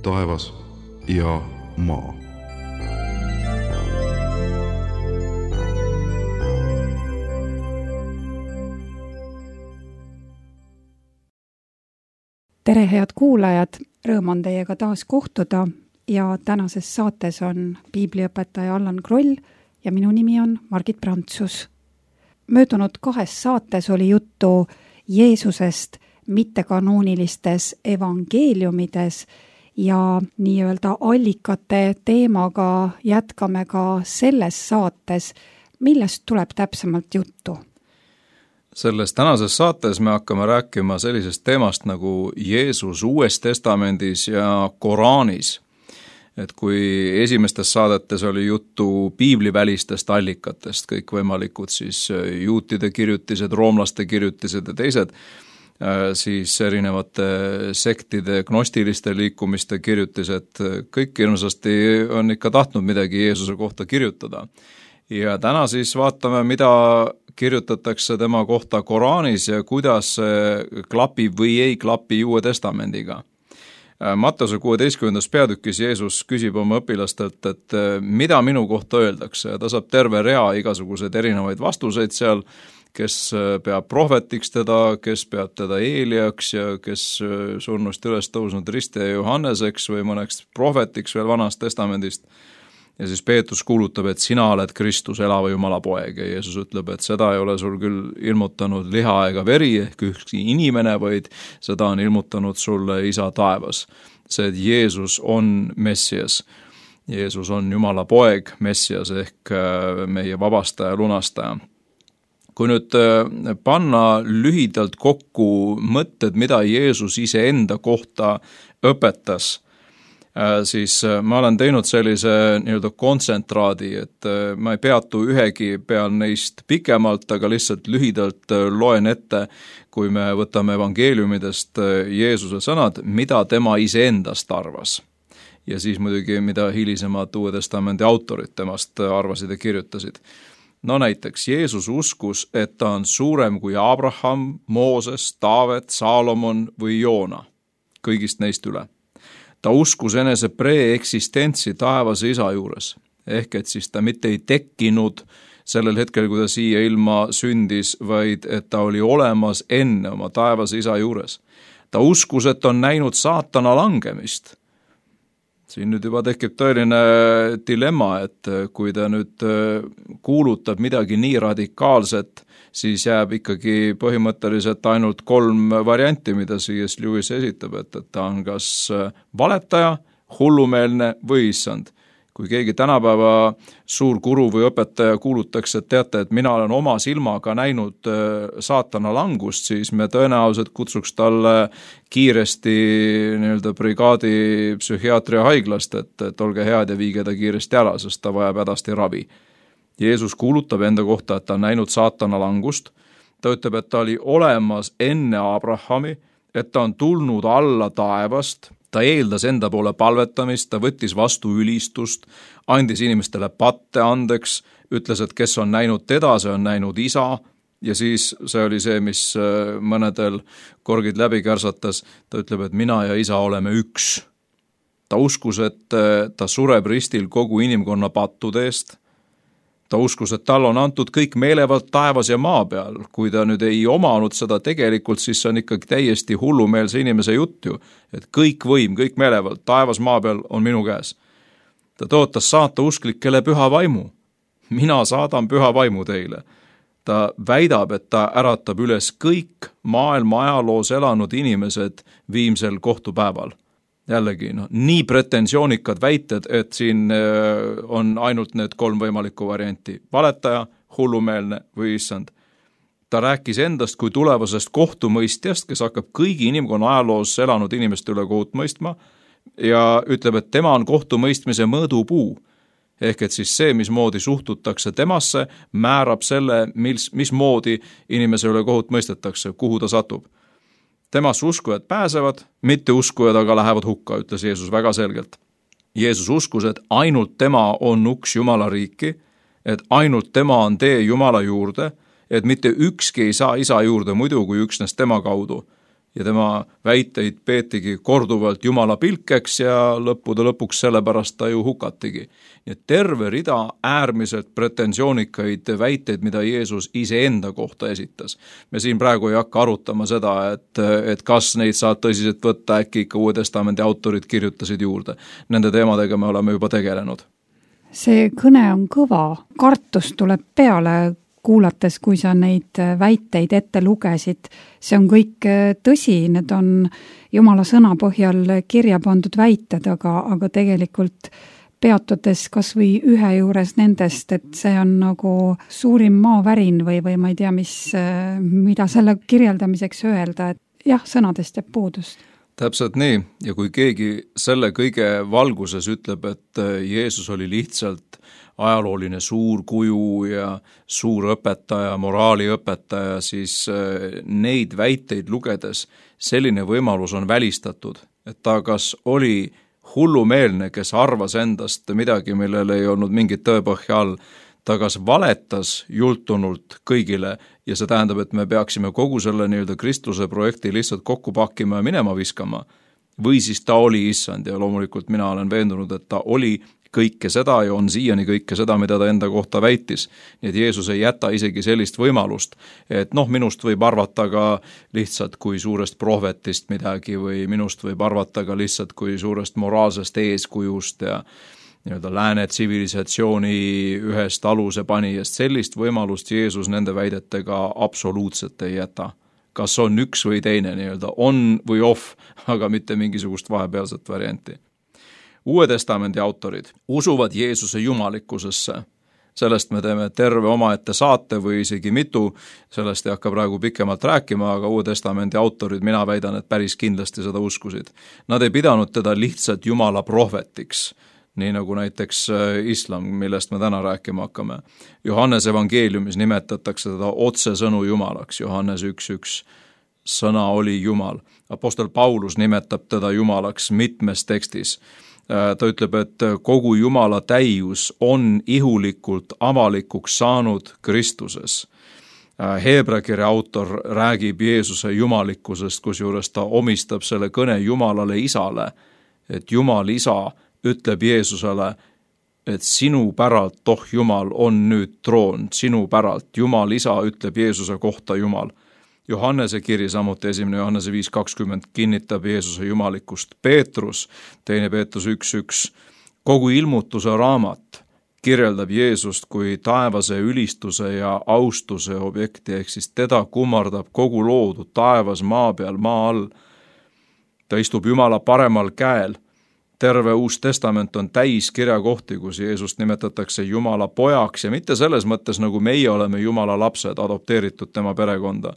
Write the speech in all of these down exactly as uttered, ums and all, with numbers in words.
taevas ja maa. Tere, head kuulajad! Rõõm on teiega taas kohtuda ja tänases saates on piibliõpetaja Allan Kroll ja minu nimi on Margit Prantsus. Möödunud kahes saates oli juttu Jeesusest mittekanoonilistes evangeeliumides ja nii-öelda allikate teemaga jätkame ka selles saates, millest tuleb täpsemalt juttu. Selles tänases saates me hakkame rääkima sellisest teemast nagu Jeesus Uues Testamendis ja Koraanis. Et kui esimestes saadetes oli juttu piiblivälistest allikatest, kõikvõimalikud siis juutide kirjutised, roomlaste kirjutised ja teised, siis erinevate sektide, gnostiliste liikumiste kirjutised, kõik hirmsasti on ikka tahtnud midagi Jeesuse kohta kirjutada. Ja täna siis vaatame, mida kirjutatakse tema kohta Koraanis ja kuidas see klapib või ei klapi Uue Testamendiga. Matteuse kuueteistkümnendas peatükis Jeesus küsib oma õpilastelt, et mida minu kohta öeldakse, ja ta saab terve rea igasuguseid erinevaid vastuseid seal, kes peab prohvetiks teda, kes peab teda Eeliaks ja kes surnust üles tõusnud Ristja Johanneseks või mõneks prohvetiks veel Vanast Testamendist. Ja siis Peetrus kuulutab, et sina oled Kristus, elava Jumala poeg, ja Jeesus ütleb, et seda ei ole sul küll ilmutanud liha ega veri ehk ükski inimene, vaid seda on ilmutanud sulle Isa taevas. See, et Jeesus on Messias. Jeesus on Jumala poeg, Messias ehk meie vabastaja, lunastaja. Kui nüüd panna lühidalt kokku mõtted, mida Jeesus iseenda kohta õpetas, siis ma olen teinud sellise nii-öelda kontsentraadi, et ma ei peatu ühegi peal neist pikemalt, aga lihtsalt lühidalt loen ette, kui me võtame evangeeliumidest Jeesuse sõnad, mida tema iseendast arvas. Ja siis muidugi, mida hilisemad Uue Testamendi autorid temast arvasid ja kirjutasid. No näiteks, Jeesus uskus, et ta on suurem kui Abraham, Mooses, Taavet, Saalomon või Joona, kõigist neist üle. Ta uskus enese pre-eksistentsi taevase Isa juures, ehk et siis ta mitte ei tekkinud sellel hetkel, kui ta siia ilma sündis, vaid et ta oli olemas enne oma taevase Isa juures. Ta uskus, et on näinud saatana langemist. Siin nüüd juba tekib tõeline dilemma, et kui ta nüüd kuulutab midagi nii radikaalset, siis jääb ikkagi põhimõtteliselt ainult kolm varianti, mida C S Lewis esitab, et, et ta on kas valetaja, hullumeelne või issand. Kui keegi tänapäeva suur guru või õpetaja kuulutaks, et teate, et mina olen oma silmaga näinud saatana langust, siis me tõenäoliselt kutsuks talle kiiresti nii-öelda brigaadi psühhiaatria haiglast, et, et olge head ja viige ta kiiresti ära, sest ta vajab hädasti ravi. Jeesus kuulutab enda kohta, et ta on näinud saatana langust. Ta ütleb, et ta oli olemas enne Abrahami, et ta on tulnud alla taevast, ta eeldas enda poole palvetamist, ta võttis vastu ülistust, andis inimestele patte andeks, ütles, et kes on näinud teda, see on näinud Isa, ja siis see oli see, mis mõnedel korgid läbi kärsatas, ta ütleb, et mina ja Isa oleme üks. Ta uskus, et ta sureb ristil kogu inimkonna pattude eest. Ta uskus, et tal on antud kõik meelevald taevas ja maa peal. Kui ta nüüd ei omanud seda tegelikult, siis see on ikkagi täiesti hullumeelse inimese jutt ju. Et kõik võim, kõik meelevald taevas maa peal on minu käes. Ta tõotas saata usklikele püha vaimu. Mina saadan püha vaimu teile. Ta väidab, et ta äratab üles kõik maailma ajaloos elanud inimesed viimsel kohtupäeval. Jällegi, no, nii pretensjoonikad väited, et siin on ainult need kolm võimalikku varianti. Valetaja, hullumeelne või issand. Ta rääkis endast kui tulevasest kohtumõistjast, kes hakkab kõigi inimkonna ajaloos elanud inimeste üle kohut mõistma ja ütleb, et tema on kohtumõistmise mõõdupuu. Ehk et siis see, mismoodi suhtutakse temasse, määrab selle, mis, mismoodi inimese üle kohut mõistetakse, kuhu ta satub. Temas uskujad pääsevad, mitte uskujad aga lähevad hukka, ütles Jeesus väga selgelt. Jeesus uskus, et ainult tema on uks Jumala riiki, et ainult tema on tee Jumala juurde, et mitte ükski ei saa Isa juurde muidu kui üksnes tema kaudu. ja tema väiteid peetigi korduvalt Jumala pilkeks ja lõppude lõpuks sellepärast ta ju hukatigi. Nii et terve rida äärmiselt pretensioonikaid väiteid, mida Jeesus iseenda kohta esitas. Me siin praegu ei hakka arutama seda, et, et kas neid saab tõsiselt võtta, äkki ikka Uue Testamendi autorid kirjutasid juurde. Nende teemadega me oleme juba tegelenud. See kõne on kõva, kartus tuleb peale, kuulates, kui sa neid väiteid ette lugesid. See on kõik tõsi, need on Jumala sõna põhjal kirja pandud väited, aga, aga tegelikult peatudes kas või ühe juures nendest, et see on nagu suurim maavärin või, või ma ei tea, mis, mida selle kirjeldamiseks öelda, et jah, sõnadest jääb puudust. Täpselt nii, ja kui keegi selle kõige valguses ütleb, et Jeesus oli lihtsalt ajalooline suur kuju ja suur õpetaja, moraaliõpetaja, siis neid väiteid lugedes selline võimalus on välistatud, et ta kas oli hullumeelne, kes arvas endast midagi, millel ei olnud mingit tõepõhja all, ta kas valetas jultunult kõigile ja see tähendab, et me peaksime kogu selle nii-öelda Kristuse projekti lihtsalt kokku pakkima ja minema viskama, või siis ta oli issand ja loomulikult mina olen veendunud, et ta oli kõike seda ja on siiani kõike seda, mida ta enda kohta väitis. Nii et Jeesus ei jäta isegi sellist võimalust, et noh, minust võib arvata ka lihtsalt kui suurest prohvetist midagi või minust võib arvata ka lihtsalt kui suurest moraalsest eeskujust ja nii-öelda lääne tsivilisatsiooni ühest aluse panijast. Sellist võimalust Jeesus nende väidetega absoluutselt ei jäta. Kas on üks või teine nii-öelda on või off, aga mitte mingisugust vahepealset varianti. Uue Testamendi autorid usuvad Jeesuse jumalikkusesse. Sellest me teeme terve omaette saate või isegi mitu, sellest ei hakka praegu pikemalt rääkima, aga Uue Testamendi autorid, mina väidan, et päris kindlasti seda uskusid. Nad ei pidanud teda lihtsalt Jumala prohvetiks, nii nagu näiteks islam, millest me täna rääkima hakkame. Johannes evangeeliumis nimetatakse teda otsesõnu Jumalaks, Johannes üks üks, sõna oli Jumal. Apostel Paulus nimetab teda Jumalaks mitmes tekstis. Ta ütleb, et kogu Jumala täius on ihulikult avalikuks saanud Kristuses. Heebra kirja autor räägib Jeesuse jumalikkusest, kusjuures ta omistab selle kõne Jumalale isale, et Jumal isa ütleb Jeesusele, et sinu päralt, oh Jumal, on nüüd troon, sinu päralt. Jumal isa ütleb Jeesuse kohta Jumal. Johannese kiri, samuti esimene Johannese viis kakskümmend kinnitab Jeesuse jumalikkust. Peetrus, teine Peetrus üks üks, kogu ilmutuse raamat kirjeldab Jeesust kui taevase ülistuse ja austuse objekti, ehk siis teda kummardab kogu loodu taevas, maa peal, maa all. Ta istub Jumala paremal käel. Terve Uus Testament on täis kirjakohti, kus Jeesust nimetatakse Jumala pojaks ja mitte selles mõttes, nagu meie oleme Jumala lapsed, adopteeritud tema perekonda.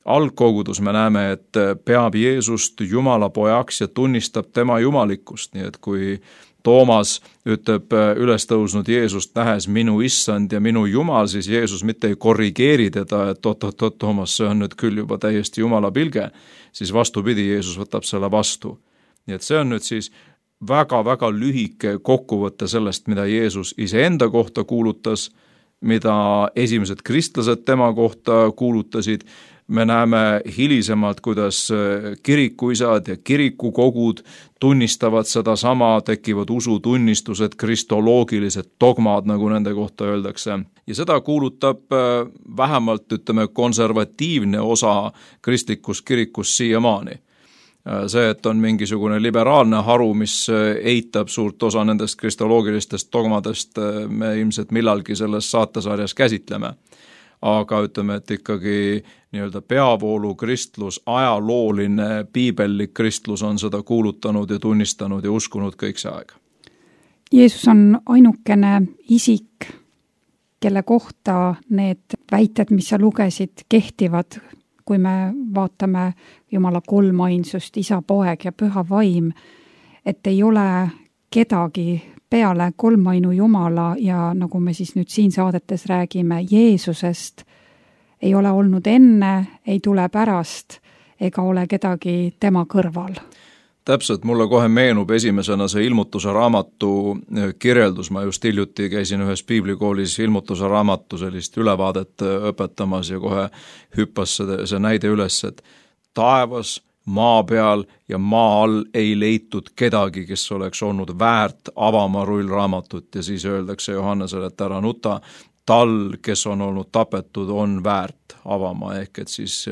Algkogudus me näeme, et peab Jeesust Jumala pojaks ja tunnistab tema jumalikkust, nii et kui Toomas ütleb üles tõusnud Jeesust nähes minu issand ja minu Jumal, siis Jeesus mitte ei korrigeeri teda, et oot-oot-oot, Toomas, see on nüüd küll juba täiesti Jumala pilge, siis vastupidi, Jeesus võtab selle vastu. Nii et see on nüüd siis väga-väga lühike kokkuvõte sellest, mida Jeesus iseenda kohta kuulutas, mida esimesed kristlased tema kohta kuulutasid. Me näeme hilisemalt, kuidas kirikuisad ja kirikukogud tunnistavad seda sama, tekivad usutunnistused, kristoloogilised dogmad, nagu nende kohta öeldakse. Ja seda kuulutab vähemalt, ütleme, konservatiivne osa kristlikus kirikus siiamaani. See, et on mingisugune liberaalne haru, mis eitab suurt osa nendest kristoloogilistest dogmadest, me ilmselt millalgi selles saatesarjas käsitleme. Aga ütleme, et ikkagi nii-öelda peavoolu kristlus, ajalooline, piibellik kristlus on seda kuulutanud ja tunnistanud ja uskunud kõik see aeg. Jeesus on ainukene isik, kelle kohta need väited, mis sa lugesid, kehtivad, kui me vaatame Jumala kolmainsust, isa, poeg ja püha vaim, et ei ole kedagi peale kolmainu Jumala ja nagu me siis nüüd siin saadetes räägime Jeesusest, ei ole olnud enne, ei tule pärast ega ole kedagi tema kõrval. Täpselt, mulle kohe meenub esimesena see ilmutuse raamatu kirjeldus, ma just hiljuti käisin ühes piiblikoolis ilmutuse raamatu sellist ülevaadet õpetamas ja kohe hüppas see, see näide üles, et taevas, maa peal ja maa all ei leitud kedagi, kes oleks olnud väärt avama rullraamatut ja siis öeldakse Johannesele, et ära nuta, tal, kes on olnud tapetud, on väärt avama, ehk et siis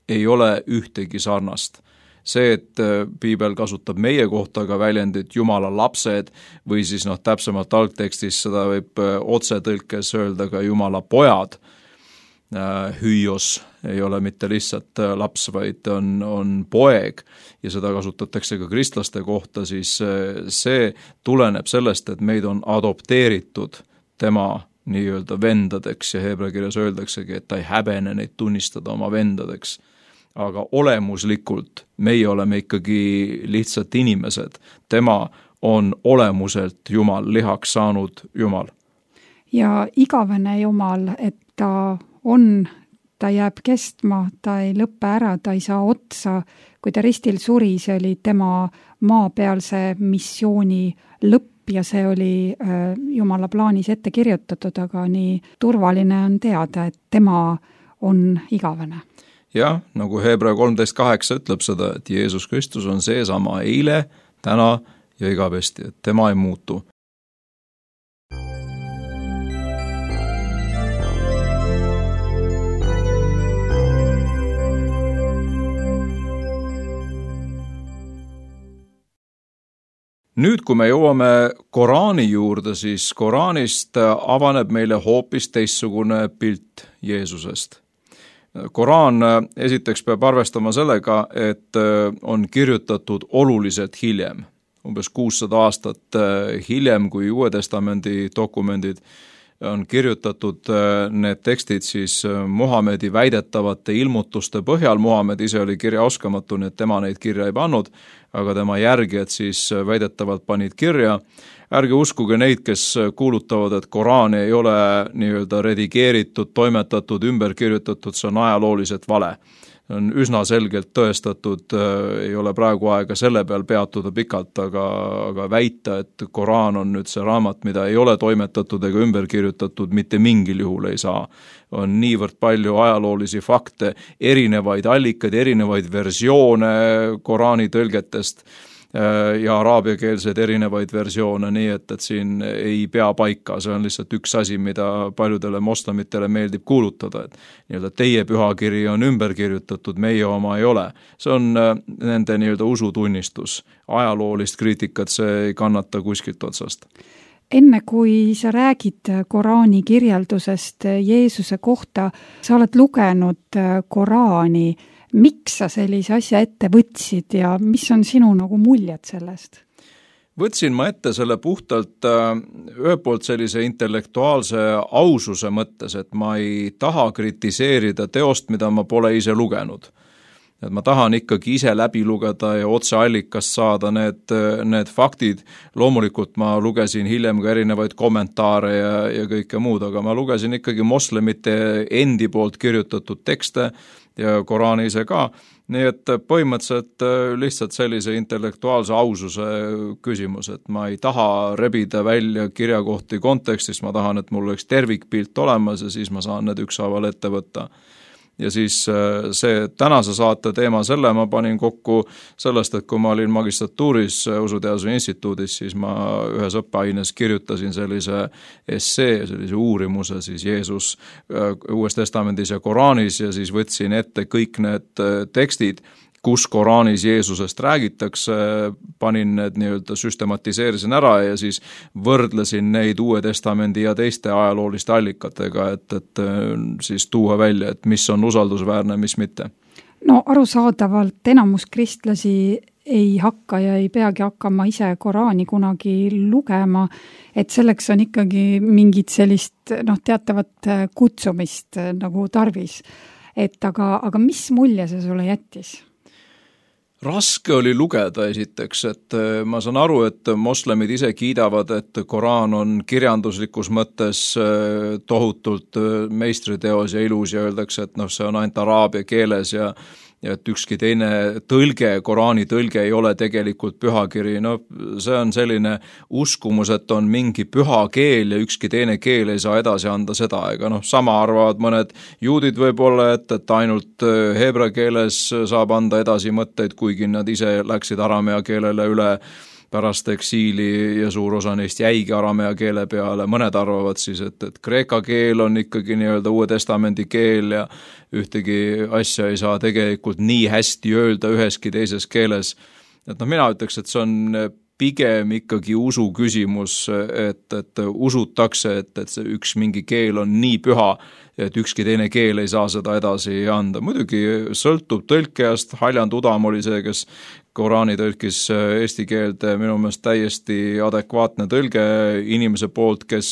ei ole ühtegi sarnast. See, et piibel kasutab meie kohta ka väljendit Jumala lapsed või siis noh, täpsemalt algtekstis seda võib otsetõlkes öelda ka Jumala pojad, hüüos ei ole mitte lihtsalt laps, vaid on, on poeg ja seda kasutatakse ka kristlaste kohta, siis see tuleneb sellest, et meid on adopteeritud tema nii-öelda vendadeks ja heebrea kirjas öeldaksegi, et ta ei häbene neid tunnistada oma vendadeks. Aga olemuslikult meie oleme ikkagi lihtsalt inimesed. Tema on olemuselt Jumal, lihaks saanud Jumal. Ja igavene Jumal, et ta on, ta jääb kestma, ta ei lõppe ära, ta ei saa otsa. Kui ta ristil suri, see oli tema maapealse missiooni lõpp ja see oli Jumala plaanis ette kirjutatud, aga nii turvaline on teada, et tema on igavene. Jah, nagu Heebrea kolmteist kaheksa ütleb seda, et Jeesus Kristus on seesama eile, täna ja igavesti, et tema ei muutu. Nüüd, kui me jõuame Koraani juurde, siis Koraanist avaneb meile hoopis teistsugune pilt Jeesusest. Koraan esiteks peab arvestama sellega, et on kirjutatud oluliselt hiljem, umbes kuussada aastat hiljem kui Uue Testamendi dokumendid on kirjutatud need tekstid siis Muhamedi väidetavate ilmutuste põhjal. Muhamed ise oli kirjaoskamatu, nii et tema neid kirja ei pannud, aga tema järgijad siis väidetavalt panid kirja. Ärge uskuge neid, kes kuulutavad, et Koraani ei ole nii-öelda redigeeritud, toimetatud, ümber kirjutatud, see on ajalooliselt vale. On üsna selgelt tõestatud, ei ole praegu aega selle peal peatuda pikalt, aga, aga väita, et Koraan on nüüd see raamat, mida ei ole toimetatud ega ümber kirjutatud, mitte mingil juhul ei saa. On niivõrd palju ajaloolisi fakte, erinevaid allikaid, erinevaid versioone Koraani tõlgetest ja araabiakeelseid erinevaid versioone, nii et, et siin ei pea paika, see on lihtsalt üks asi, mida paljudele moslemitele meeldib kuulutada, et nii-öelda teie pühakiri on ümber kirjutatud, meie oma ei ole. See on nende nii-öelda usutunnistus, ajaloolist kriitikat, see ei kannata kuskilt otsast. Enne kui sa räägid Koraani kirjeldusest Jeesuse kohta, sa oled lugenud Koraani. Miks sa sellise asja ette võtsid ja mis on sinu nagu muljed sellest? Võtsin ma ette selle puhtalt ühe poolt sellise intellektuaalse aususe mõttes, et ma ei taha kritiseerida teost, mida ma pole ise lugenud. Et ma tahan ikkagi ise läbi lugeda ja otseallikast saada need, need faktid. Loomulikult ma lugesin hiljem ka erinevaid kommentaare ja, ja kõike muud, aga ma lugesin ikkagi moslemite endi poolt kirjutatud tekste ja Koraani ise ka. Nii et põhimõtteliselt lihtsalt sellise intellektuaalse aususe küsimus, et ma ei taha rebida välja kirjakohti kontekstist, ma tahan, et mul oleks tervikpilt olemas ja siis ma saan need ükshaaval ette võtta. Ja siis see tänase saate teema, selle ma panin kokku sellest, et kui ma olin magistratuuris Usuteaduse instituudis, siis ma ühes õppeaines kirjutasin sellise essee, sellise uurimuse siis Jeesus Uues Testamendis ja Koraanis ja siis võtsin ette kõik need tekstid, kus Koraanis Jeesusest räägitakse, panin need nii-öelda süstematiseerisin ära ja siis võrdlesin neid Uue Testamendi ja teiste ajalooliste allikatega, et, et siis tuua välja, et mis on usaldusväärne, mis mitte. No arusaadavalt enamus kristlasi ei hakka ja ei peagi hakkama ise Koraani kunagi lugema, et selleks on ikkagi mingit sellist noh, teatavat kutsumist nagu tarvis. Et aga, aga mis mulje see sulle jättis? Raske oli lugeda esiteks, et ma saan aru, et moslemid ise kiidavad, et Koraan on kirjanduslikus mõttes tohutult meistriteos ja ilus ja öeldakse, et noh, see on ainult araabia keeles ja ja et ükski teine tõlge, Koraani tõlge ei ole tegelikult pühakiri, no see on selline uskumus, et on mingi püha keel ja ükski teine keel ei saa edasi anda seda, ega noh, sama arvavad mõned juudid võib-olla, et, et ainult heebra keeles saab anda edasi mõtteid, kuigi nad ise läksid aramea keelele üle pärast eksiili ja suur osa neist jäigi aramea keele peale, mõned arvavad siis, et, et kreeka keel on ikkagi nii-öelda Uue Testamendi keel ja ühtegi asja ei saa tegelikult nii hästi öelda üheski teises keeles. Et noh, mina ütleks, et see on pigem ikkagi usu küsimus, et, et usutakse, et, et see üks mingi keel on nii püha, et ükski teine keel ei saa seda edasi anda. Muidugi sõltub tõlkejast, Haljand Udam oli see, kes Koraani tõlkis eesti keelde, minu meelest täiesti adekvaatne tõlge inimese poolt, kes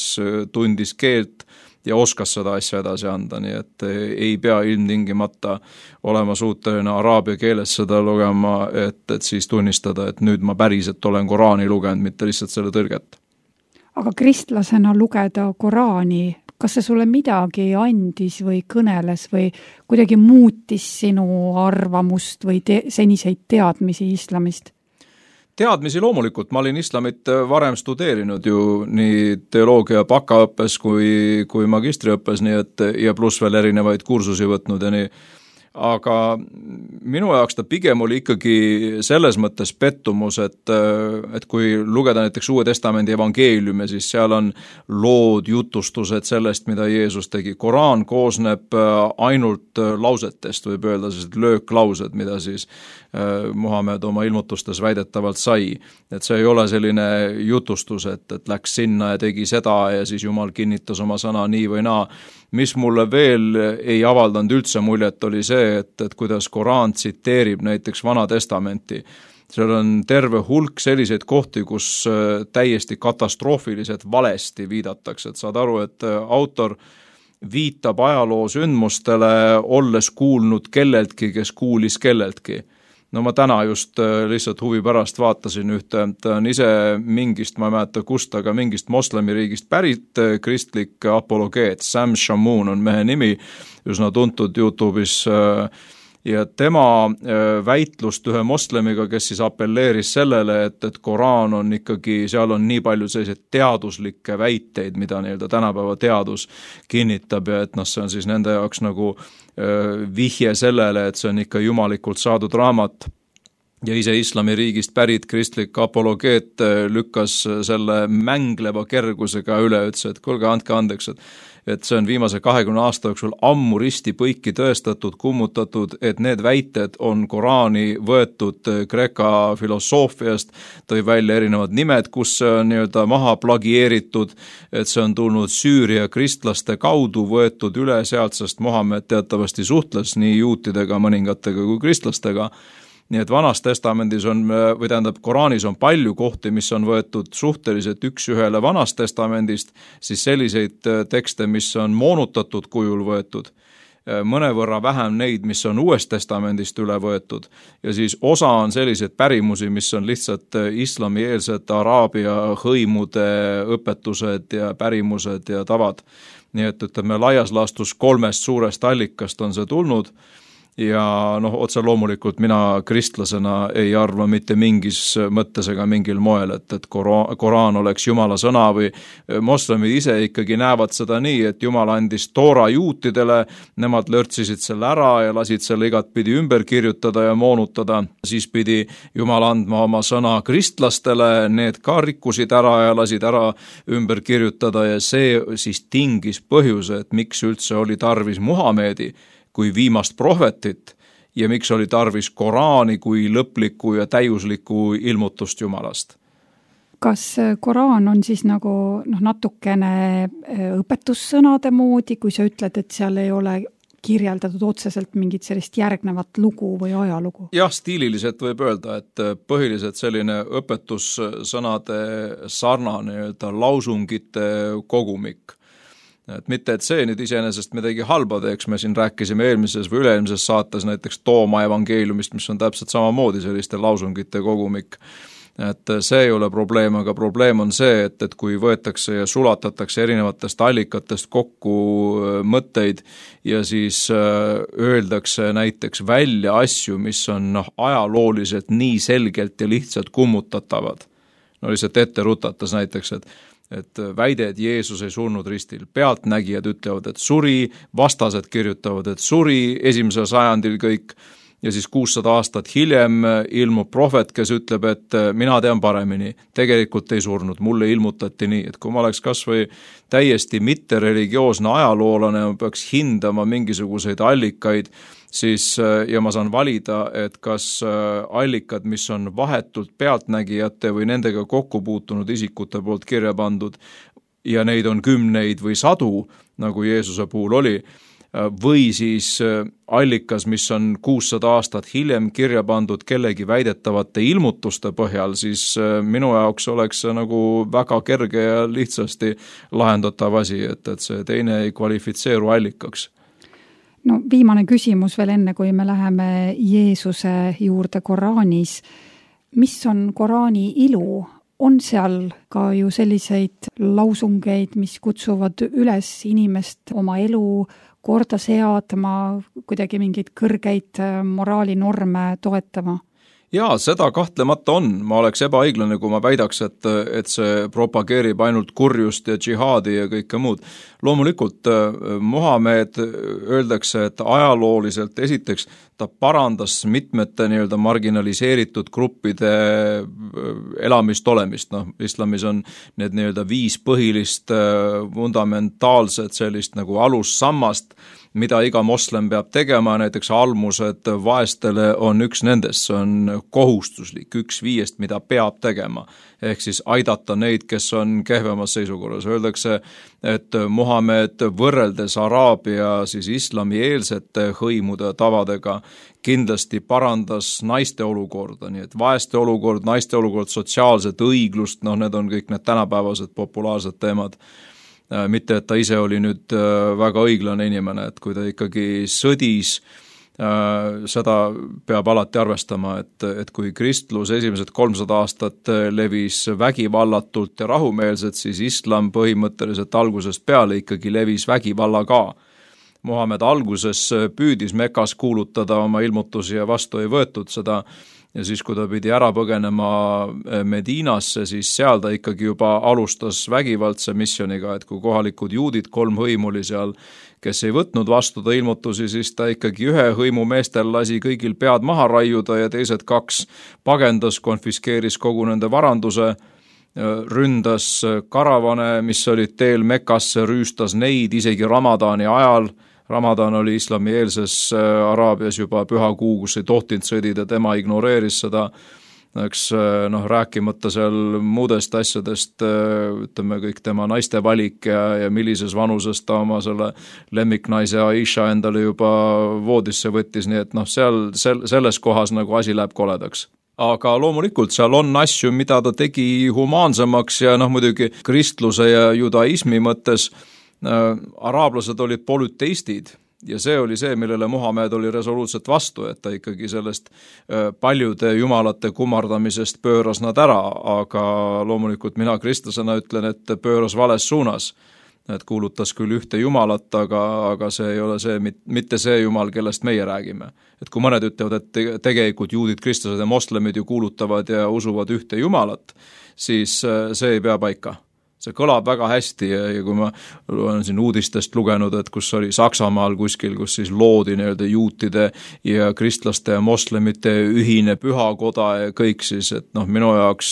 tundis keelt ja oskas seda asja edasi anda, nii et ei pea ilmtingimata olema suuteline araabia keeles seda lugema, et, et siis tunnistada, et nüüd ma päriselt olen Koraani lugenud, mitte lihtsalt selle tõlget. Aga kristlasena lugeda Koraani, kas see sulle midagi andis või kõneles või kuidagi muutis sinu arvamust või te- seniseid teadmisi islamist? Teadmisi loomulikult, ma olin islamit varem studeerinud ju nii teoloogia bakaõppes kui, kui magistriõppes, nii et ja pluss veel erinevaid kursusi võtnud ja nii. Aga minu jaoks ta pigem oli ikkagi selles mõttes pettumus, et, et kui lugeda näiteks Uue Testamendi evangeeliume, siis seal on lood, jutustused sellest, mida Jeesus tegi. Koraan koosneb ainult lausetest, võib öelda sellised lööklaused, mida siis Muhamed oma ilmutustes väidetavalt sai. Et see ei ole selline jutustus, et, et läks sinna ja tegi seda ja siis Jumal kinnitas oma sõna nii või naa. Mis mulle veel ei avaldanud üldse muljet oli see, et, et kuidas Koraan tsiteerib näiteks Vana Testamenti. Seal on terve hulk selliseid kohti, kus täiesti katastroofiliselt valesti viidatakse. Et saad aru, et autor viitab ajaloo sündmustele, olles kuulnud kelleltki, kes kuulis kelleltki. No ma täna just lihtsalt huvi pärast vaatasin ühte, ta on ise mingist, ma ei mäleta kust, aga mingist moslemiriigist pärit kristlik apologeet, Sam Shamoun on mehe nimi, üsna tuntud YouTube'is ja tema väitlust ühe moslemiga, kes siis appelleeris sellele, et, et Koraan on ikkagi, seal on nii palju selliseid teaduslikke väiteid, mida nii-öelda tänapäeva teadus kinnitab ja et noh, see on siis nende jaoks nagu vihje sellele, et see on ikka jumalikult saadud raamat. Ja ise islamiriigist pärit kristlik apologeet lükkas selle mängleva kergusega üle, ütles, et kuulge, andke andeks, et, et see on viimase kahekümne aasta jooksul ammu risti põiki tõestatud, kummutatud, et need väited on Koraani võetud Kreeka filosoofiast, tõi välja erinevad nimed, kus see on nii-öelda maha plagieeritud, et see on tulnud Süüria kristlaste kaudu võetud üle sealt, sest Muhamed teatavasti suhtles nii juutidega, mõningatega kui kristlastega. Nii et Vanas Testamendis on, või tähendab, Koraanis on palju kohti, mis on võetud suhteliselt üks ühele Vanast Testamendist, siis selliseid tekste, mis on moonutatud kujul võetud, mõnevõrra vähem neid, mis on Uuest Testamendist üle võetud ja siis osa on selliseid pärimusi, mis on lihtsalt islamieelsed araabia hõimude õpetused ja pärimused ja tavad. Nii et ütleme, laias laastus kolmest suurest allikast on see tulnud ja noh, otse loomulikult mina kristlasena ei arva mitte mingis mõttes ega mingil moel, et, et Koraan, Koraan oleks Jumala sõna või moslemid ise ikkagi näevad seda nii, et Jumal andis Toora juutidele, nemad lörtsisid selle ära ja lasid selle igatpidi ümber kirjutada ja moonutada, siis pidi Jumal andma oma sõna kristlastele, need ka rikkusid ära ja lasid ära ümber kirjutada ja see siis tingis põhjuse, et miks üldse oli tarvis Muhamedi kui viimast prohvetit ja miks oli tarvis Koraani kui lõplikku ja täiuslikku ilmutust Jumalast. Kas Koraan on siis nagu noh, natukene õpetussõnade moodi, kui sa ütled, et seal ei ole kirjeldatud otseselt mingit sellist järgnevat lugu või ajalugu? Jah, stiililiselt võib öelda, et põhiliselt selline õpetussõnade sarnane lausungite kogumik. Et mitte, et see nüüd iseenesest midagi halba teeks, me siin rääkisime eelmises või üleelmises saates näiteks Tooma evangeeliumist, mis on täpselt samamoodi selliste lausungite kogumik. et see ei ole probleem, aga probleem on see, et, et kui võetakse ja sulatatakse erinevatest allikatest kokku mõtteid ja siis öeldakse näiteks välja asju, mis on noh, ajalooliselt nii selgelt ja lihtsalt kummutatavad. No lihtsalt ette rutatas näiteks, et et väide, et Jeesus ei surnud ristil. Pealtnägijad ütlevad, et suri, vastased kirjutavad, et suri esimesel sajandil kõik, ja siis kuussada aastat hiljem ilmub prohvet, kes ütleb, et mina tean paremini, tegelikult ei surnud, mulle ilmutati nii, et kui ma oleks kas või täiesti mittereligioosne ajaloolane, ma peaks hindama mingisuguseid allikaid, siis ja ma saan valida, et kas allikad, mis on vahetult pealtnägijate või nendega kokku puutunud isikute poolt kirja pandud ja neid on kümneid või sadu, nagu Jeesuse puhul oli, või siis allikas, mis on kuussada aastat hiljem kirja pandud kellegi väidetavate ilmutuste põhjal, siis minu jaoks oleks see nagu väga kerge ja lihtsasti lahendatav asi, et, et see teine ei kvalifitseeru allikaks. No viimane küsimus veel enne, kui me läheme Jeesuse juurde Koraanis. Mis on Koraani ilu? On seal ka ju selliseid lausungeid, mis kutsuvad üles inimest oma elu korda seadma, kuidagi mingeid kõrgeid moraalinorme toetama? Jaa, seda kahtlemata on. Ma oleks ebaõiglane, kui ma väidaks, et, et see propageerib ainult kurjust ja džihaadi ja kõike muud. Loomulikult Muhamed öeldakse, et ajalooliselt esiteks ta parandas mitmete nii-öelda marginaliseeritud gruppide elamist olemist. No, islamis on need nii-öelda viis põhilist fundamentaalset sellist nagu alussammast, mida iga moslem peab tegema, näiteks almused vaestele on üks nendest, see on kohustuslik, üks viiest, mida peab tegema, ehk siis aidata neid, kes on kehvemas seisukorras. Öeldakse, et Muhamed võrreldes Araabia siis islamieelsete hõimude tavadega kindlasti parandas naiste olukorda, nii et vaeste olukord, naiste olukord, sotsiaalset õiglust, noh, need on kõik need tänapäevased populaarsed teemad. Mitte, et ta ise oli nüüd väga õiglane inimene, et kui ta ikkagi sõdis, seda peab alati arvestama, et, et kui kristlus esimesed kolmsada aastat levis vägivallatult ja rahumeelselt, siis islam põhimõtteliselt algusest peale ikkagi levis vägivalla ka. Muhamed alguses püüdis Mekas kuulutada oma ilmutusi ja vastu ei võetud seda, ja siis, kui ta pidi ära põgenema Medinasse, siis seal ta ikkagi juba alustas vägivaldse missiooniga, et kui kohalikud juudid, kolm hõimu oli seal, kes ei võtnud vastu ta ilmutusi, siis ta ikkagi ühe hõimu meestel lasi kõigil pead maha raiuda ja teised kaks pagendas, konfiskeeris kogu nende varanduse, ründas karavane, mis olid teel Mekasse, rüüstas neid isegi Ramadani ajal. Ramadan oli islamieelses Araabias juba püha kuu, kus ei tohtinud sõdida, tema ignoreeris seda, eks noh, rääkimata seal muudest asjadest, ütleme kõik tema naiste valik ja, ja millises vanuses ta oma selle lemmiknaise Aisha endale juba voodisse võttis, nii et noh, seal sel, selles kohas nagu asi läheb koledaks. Aga loomulikult seal on asju, mida ta tegi humaansemaks ja noh, muidugi kristluse ja judaismi mõttes araablased olid polüteistid ja see oli see, millele Muhamed oli resoluutselt vastu, et ta ikkagi sellest paljude jumalate kummardamisest pööras nad ära, aga loomulikult mina kristlasena ütlen, et pööras vales suunas. Et kuulutas küll ühte jumalat, aga, aga see ei ole see, mitte see jumal, kellest meie räägime. Et kui mõned ütlevad, et tegelikult juudid, kristlased ja moslemid ju kuulutavad ja usuvad ühte jumalat, siis see ei pea paika. See kõlab väga hästi ja, ja kui ma olen siin uudistest lugenud, et kus oli Saksamaal kuskil, kus siis loodi nii-öelda juutide ja kristlaste ja moslemite ühine pühakoda ja kõik siis, et noh, minu jaoks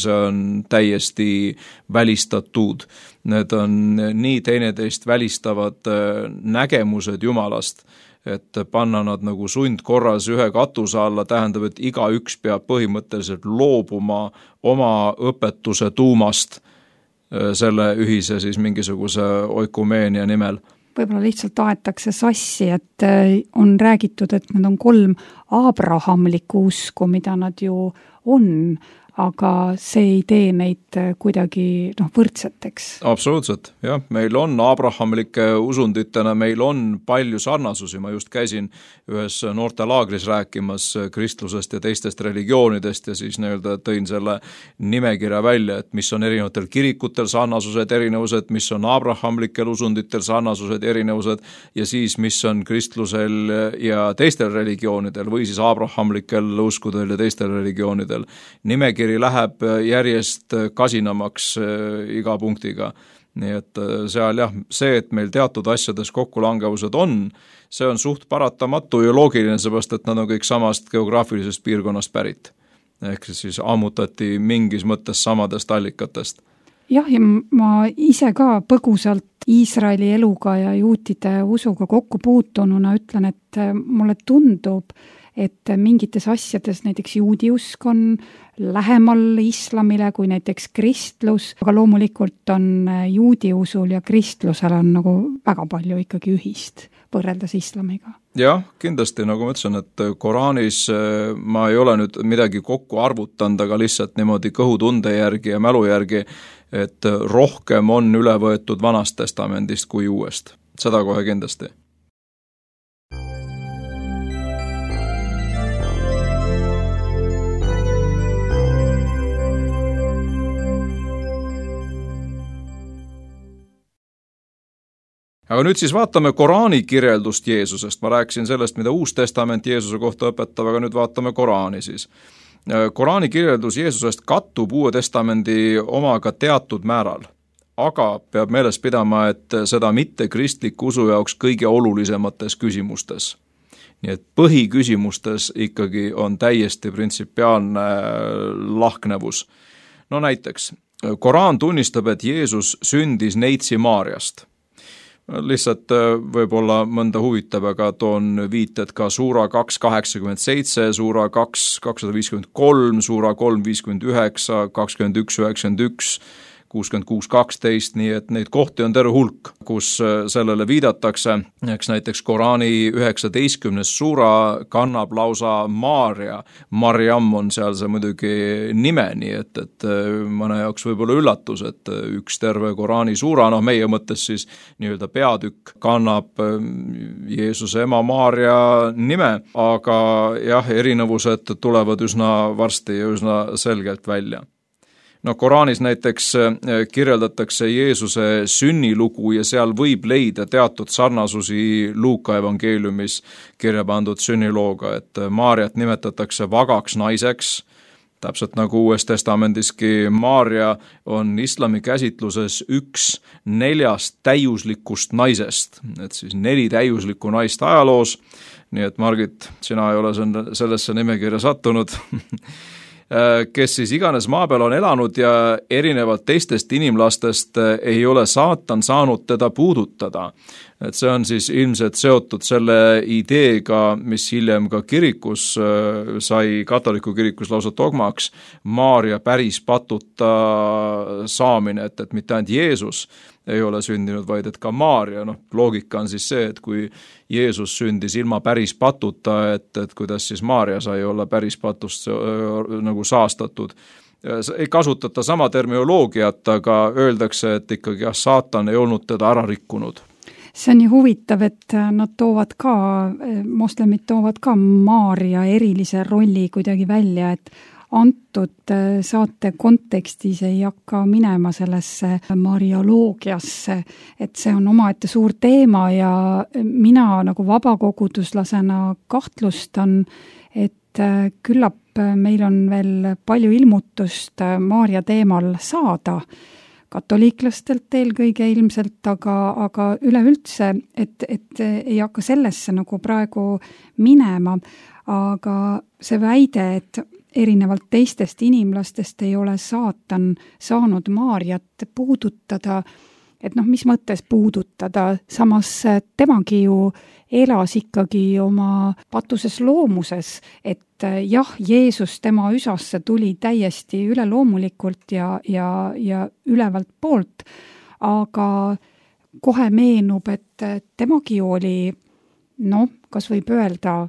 see on täiesti välistatud. Need on nii teineteist välistavad nägemused jumalast, et panna nad nagu sundkorras ühe katuse alla, tähendab, et iga üks peab põhimõtteliselt loobuma oma õpetuse tuumast selle ühise siis mingisuguse oikumeenia nimel. Võib-olla lihtsalt aetakse sassi, et on räägitud, et need on kolm abrahamlikku usku, mida nad ju on, aga see ei tee neid kuidagi noh, võrdseteks. Absoluutselt, jah. Meil on abrahamlike usunditena, meil on palju sarnasusi. Ma just käisin ühes noortelaagris rääkimas kristlusest ja teistest religioonidest ja siis nii-öelda tõin selle nimekirja välja, et mis on erinevatel kirikutel sarnasused, erinevused, mis on abrahamlikel usunditel sarnasused, erinevused ja siis mis on kristlusel ja teistel religioonidel või siis abrahamlikel uskudel ja teistel religioonidel. Nimekirja läheb järjest kasinamaks iga punktiga. Nii et seal jah, see, et meil teatud asjades kokkulangevused on, see on suht paratamatu ja loogiline, seepärast, et nad on kõik samast geograafilisest piirkonnast pärit. Ehk siis ammutati mingis mõttes samadest allikatest. Jah, ja ma ise ka põgusalt Iisraeli eluga ja juutide usuga kokku puutununa ütlen, et mulle tundub, et mingites asjades näiteks juudi usk on lähemal islamile kui näiteks kristlus, aga loomulikult on juudi usul ja kristlusel on nagu väga palju ikkagi ühist võrreldes islamiga. Jah, kindlasti, nagu ma ütlesin, et Koraanis ma ei ole nüüd midagi kokku arvutanud, aga lihtsalt niimoodi kõhutunde järgi ja mälu järgi, et rohkem on üle võetud Vanast testamendist kui uuest. Seda kohe kindlasti. Aga nüüd siis vaatame Koraani kirjeldust Jeesusest. Ma rääkisin sellest, mida Uus Testament Jeesuse kohta õpetab, aga nüüd vaatame Koraani siis. Koraani kirjeldus Jeesusest kattub Uue Testamendi omaga teatud määral, aga peab meeles pidama, et seda mitte kristliku usu jaoks kõige olulisemates küsimustes. Nii et põhiküsimustes ikkagi on täiesti printsipiaalne lahknevus. No näiteks, Koraan tunnistab, et Jeesus sündis Neitsi Maarjast. Lihtsalt võib-olla mõnda huvitab, aga toon viited ka suura kaks kaheksakümmend seitse, suura kaks kakssada viiskümmend kolm, suura kolm viiskümmend üheksa, kakskümmend üks üheksakümmend üks, kuuskümmend kuus kaksteist, nii et neid kohti on terve hulk, kus sellele viidatakse. Eks näiteks Koraani üheksateistkümnes suura kannab lausa Maarja. Marjam on seal see muidugi nime, nii et, et mõne jaoks võib-olla üllatus, et üks terve Koraani suura, noh meie mõttes siis nii-öelda peatükk kannab Jeesuse ema Maarja nime, aga jah, erinevused tulevad üsna varsti ja üsna selgelt välja. No Koraanis näiteks kirjeldatakse Jeesuse sünnilugu ja seal võib leida teatud sarnasusi Luuka evangeeliumis kirja pandud sünnilooga, et Maarjat nimetatakse vagaks naiseks, täpselt nagu Uues Testamendiski. Maarja on islami käsitluses üks neljast täiuslikust naisest, et siis neli täiuslikku naist ajaloos, nii et Margit, sina ei ole sellesse nimekirja sattunud, kes siis iganes maa peal on elanud ja erinevalt teistest inimlastest ei ole saatan saanud teda puudutada. Et see on siis ilmselt seotud selle ideega, mis hiljem ka kirikus sai, katoliku kirikus lausa dogmaks, Maarja päris patuta saamine, et, et mitte ainult Jeesus ei ole sündinud, vaid et ka Maarja, noh, loogika on siis see, et kui Jeesus sündis ilma päris patuta, et, et kuidas siis Maarja sai olla päris patust nagu saastatud. Ei kasutata sama termioloogiat, aga öeldakse, et ikkagi jah, saatan ei olnud teda ära rikkunud. See on ju huvitav, et nad toovad ka, moslemid toovad ka Maarja erilise rolli kuidagi välja, et antud saate kontekstis ei hakka minema sellesse marioloogiasse, et see on omaette suur teema ja mina nagu vabakoguduslasena kahtlustan, et küllap meil on veel palju ilmutust Maarja teemal saada, katoliiklastelt eelkõige ilmselt, aga, aga üleüldse, et, et ei hakka sellesse nagu praegu minema, aga see väide, et erinevalt teistest inimlastest ei ole saatan saanud Maarjat puudutada, et noh, mis mõttes puudutada, samas temagi ju elas ikkagi oma patuses loomuses, et jah, Jeesus tema üsasse tuli täiesti üleloomulikult ja, ja, ja ülevalt poolt, aga kohe meenub, et temagi oli, noh, kas võib öelda,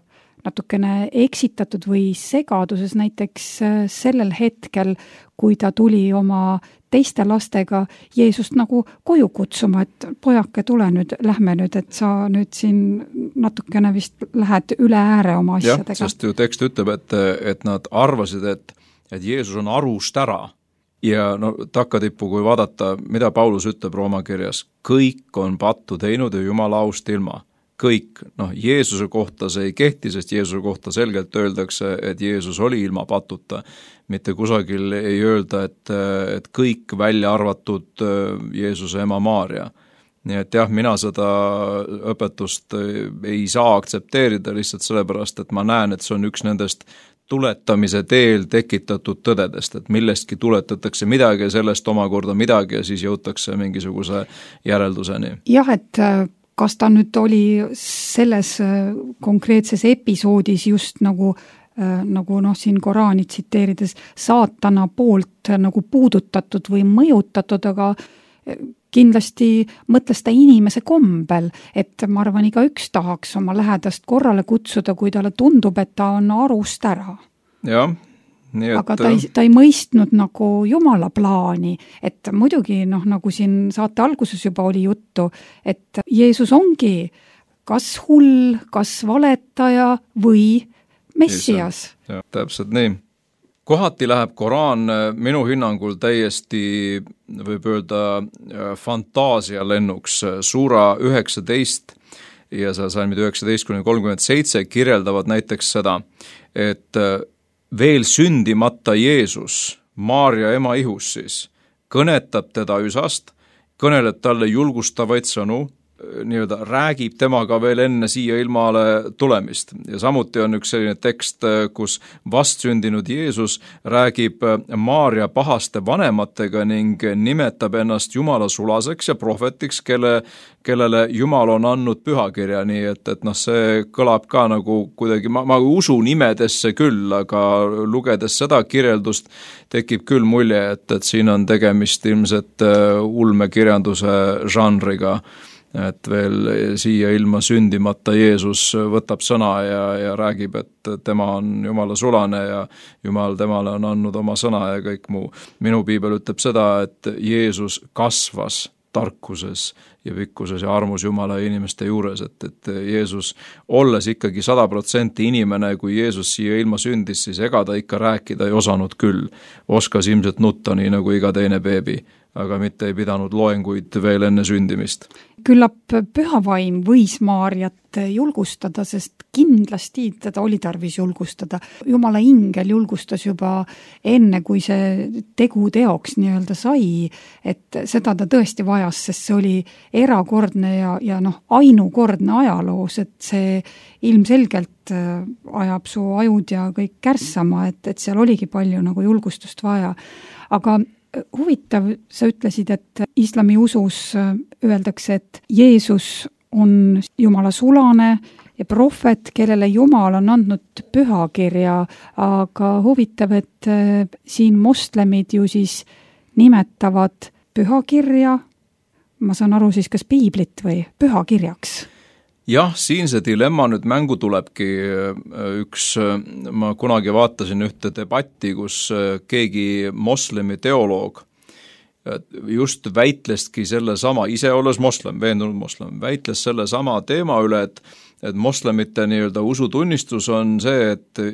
natukene eksitatud või segaduses näiteks sellel hetkel, kui ta tuli oma teiste lastega Jeesust nagu koju kutsuma, et pojake, tule nüüd, lähme nüüd, et sa nüüd siin natukene vist lähed üle ääre oma asjadega. Jah, sest ju tekst ütleb, et, et nad arvasid, et, et Jeesus on arust ära. Ja no takkatippu, kui vaadata, mida Paulus ütleb Rooma kirjas, kõik on pattu teinud ja Jumala aust ilma. Kõik, noh, Jeesuse kohta see ei kehti, sest Jeesuse kohta selgelt öeldakse, et Jeesus oli ilma patuta. Mitte kusagil ei öelda, et, et kõik välja arvatud Jeesuse ema Maaria. Nii et jah, mina seda õpetust ei saa aktsepteerida lihtsalt sellepärast, et ma näen, et see on üks nendest tuletamise teel tekitatud tõdedest, et millestki tuletatakse midagi ja sellest omakorda midagi ja siis jõutakse mingisuguse järelduseni. Jah, et kas ta nüüd oli selles konkreetses episoodis just nagu, nagu noh, siin Koraani tsiteerides saatana poolt nagu puudutatud või mõjutatud, aga kindlasti mõtles ta inimese kombel, et ma arvan, iga üks tahaks oma lähedast korrale kutsuda, kui talle tundub, et ta on arust ära. Jah. Nii et... Aga ta ei, ta ei mõistnud nagu Jumala plaani, et muidugi noh, nagu siin saate alguses juba oli juttu, et Jeesus ongi kas hull, kas valetaja või Messias. Ja, täpselt nii. Kohati läheb Koraan minu hinnangul täiesti, võib öelda, fantaasia lennuks. Suura üheksateist ja see salmid üheksateist kuni kolmkümmend seitse kirjeldavad näiteks seda, et veel sündimata Jeesus, Maaria ema ihus siis, kõnetab teda üsast, kõneleb talle julgustavaid sõnu, nii-öelda räägib temaga veel enne siia ilmale tulemist. Ja samuti on üks selline tekst, kus vastsündinud Jeesus räägib Maaria pahaste vanematega ning nimetab ennast Jumala sulaseks ja prohvetiks, kelle, kellele Jumal on andnud pühakirja, nii et, et noh, see kõlab ka nagu kuidagi, ma, ma usun imedesse küll, aga lugedes seda kirjeldust tekib küll mulje, et, et siin on tegemist ilmselt ulmekirjanduse žanriga, et veel siia ilma sündimata Jeesus võtab sõna ja, ja räägib, et tema on Jumala sulane ja Jumal temale on andnud oma sõna ja kõik muu. Minu piibel ütleb seda, et Jeesus kasvas tarkuses ja pikkuses ja armus Jumala ja inimeste juures, et, et Jeesus, olles ikkagi sada protsenti inimene, kui Jeesus siia ilma sündis, siis ega ta ikka rääkida ei osanud küll. Oskas ilmselt nutta nii nagu iga teine beebi, aga mitte ei pidanud loenguid veel enne sündimist. Küllap pühavaim võis Maarjat julgustada, sest kindlasti teda oli tarvis julgustada. Jumala ingel julgustas juba enne, kui see tegu teoks nii-öelda sai, et seda ta tõesti vajas, sest see oli erakordne ja, ja noh, ainukordne ajaloos, et see ilmselgelt ajab su ajud ja kõik kärssama, et, et seal oligi palju nagu julgustust vaja. Aga huvitav, sa ütlesid, et islami usus öeldakse, et Jeesus on Jumala sulane ja prohvet, kellele Jumal on andnud pühakirja, aga huvitav, et siin moslemid ju siis nimetavad pühakirja, ma saan aru siis kas piiblit või pühakirjaks? Jah, siin see dilemma nüüd mängu tulebki. Üks, ma kunagi vaatasin ühte debatti, kus keegi moslemi teoloog just väitleski selle sama, ise olles moslem, veendunud moslem, väitles selle sama teema üle, et, et moslemite nii-öelda usutunnistus on see, et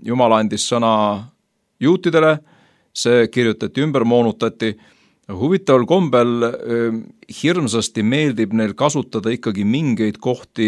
Jumal andis sõna juutidele, see kirjutati ümber, moonutati. Huvitaval kombel hirmsasti meeldib neil kasutada ikkagi mingeid kohti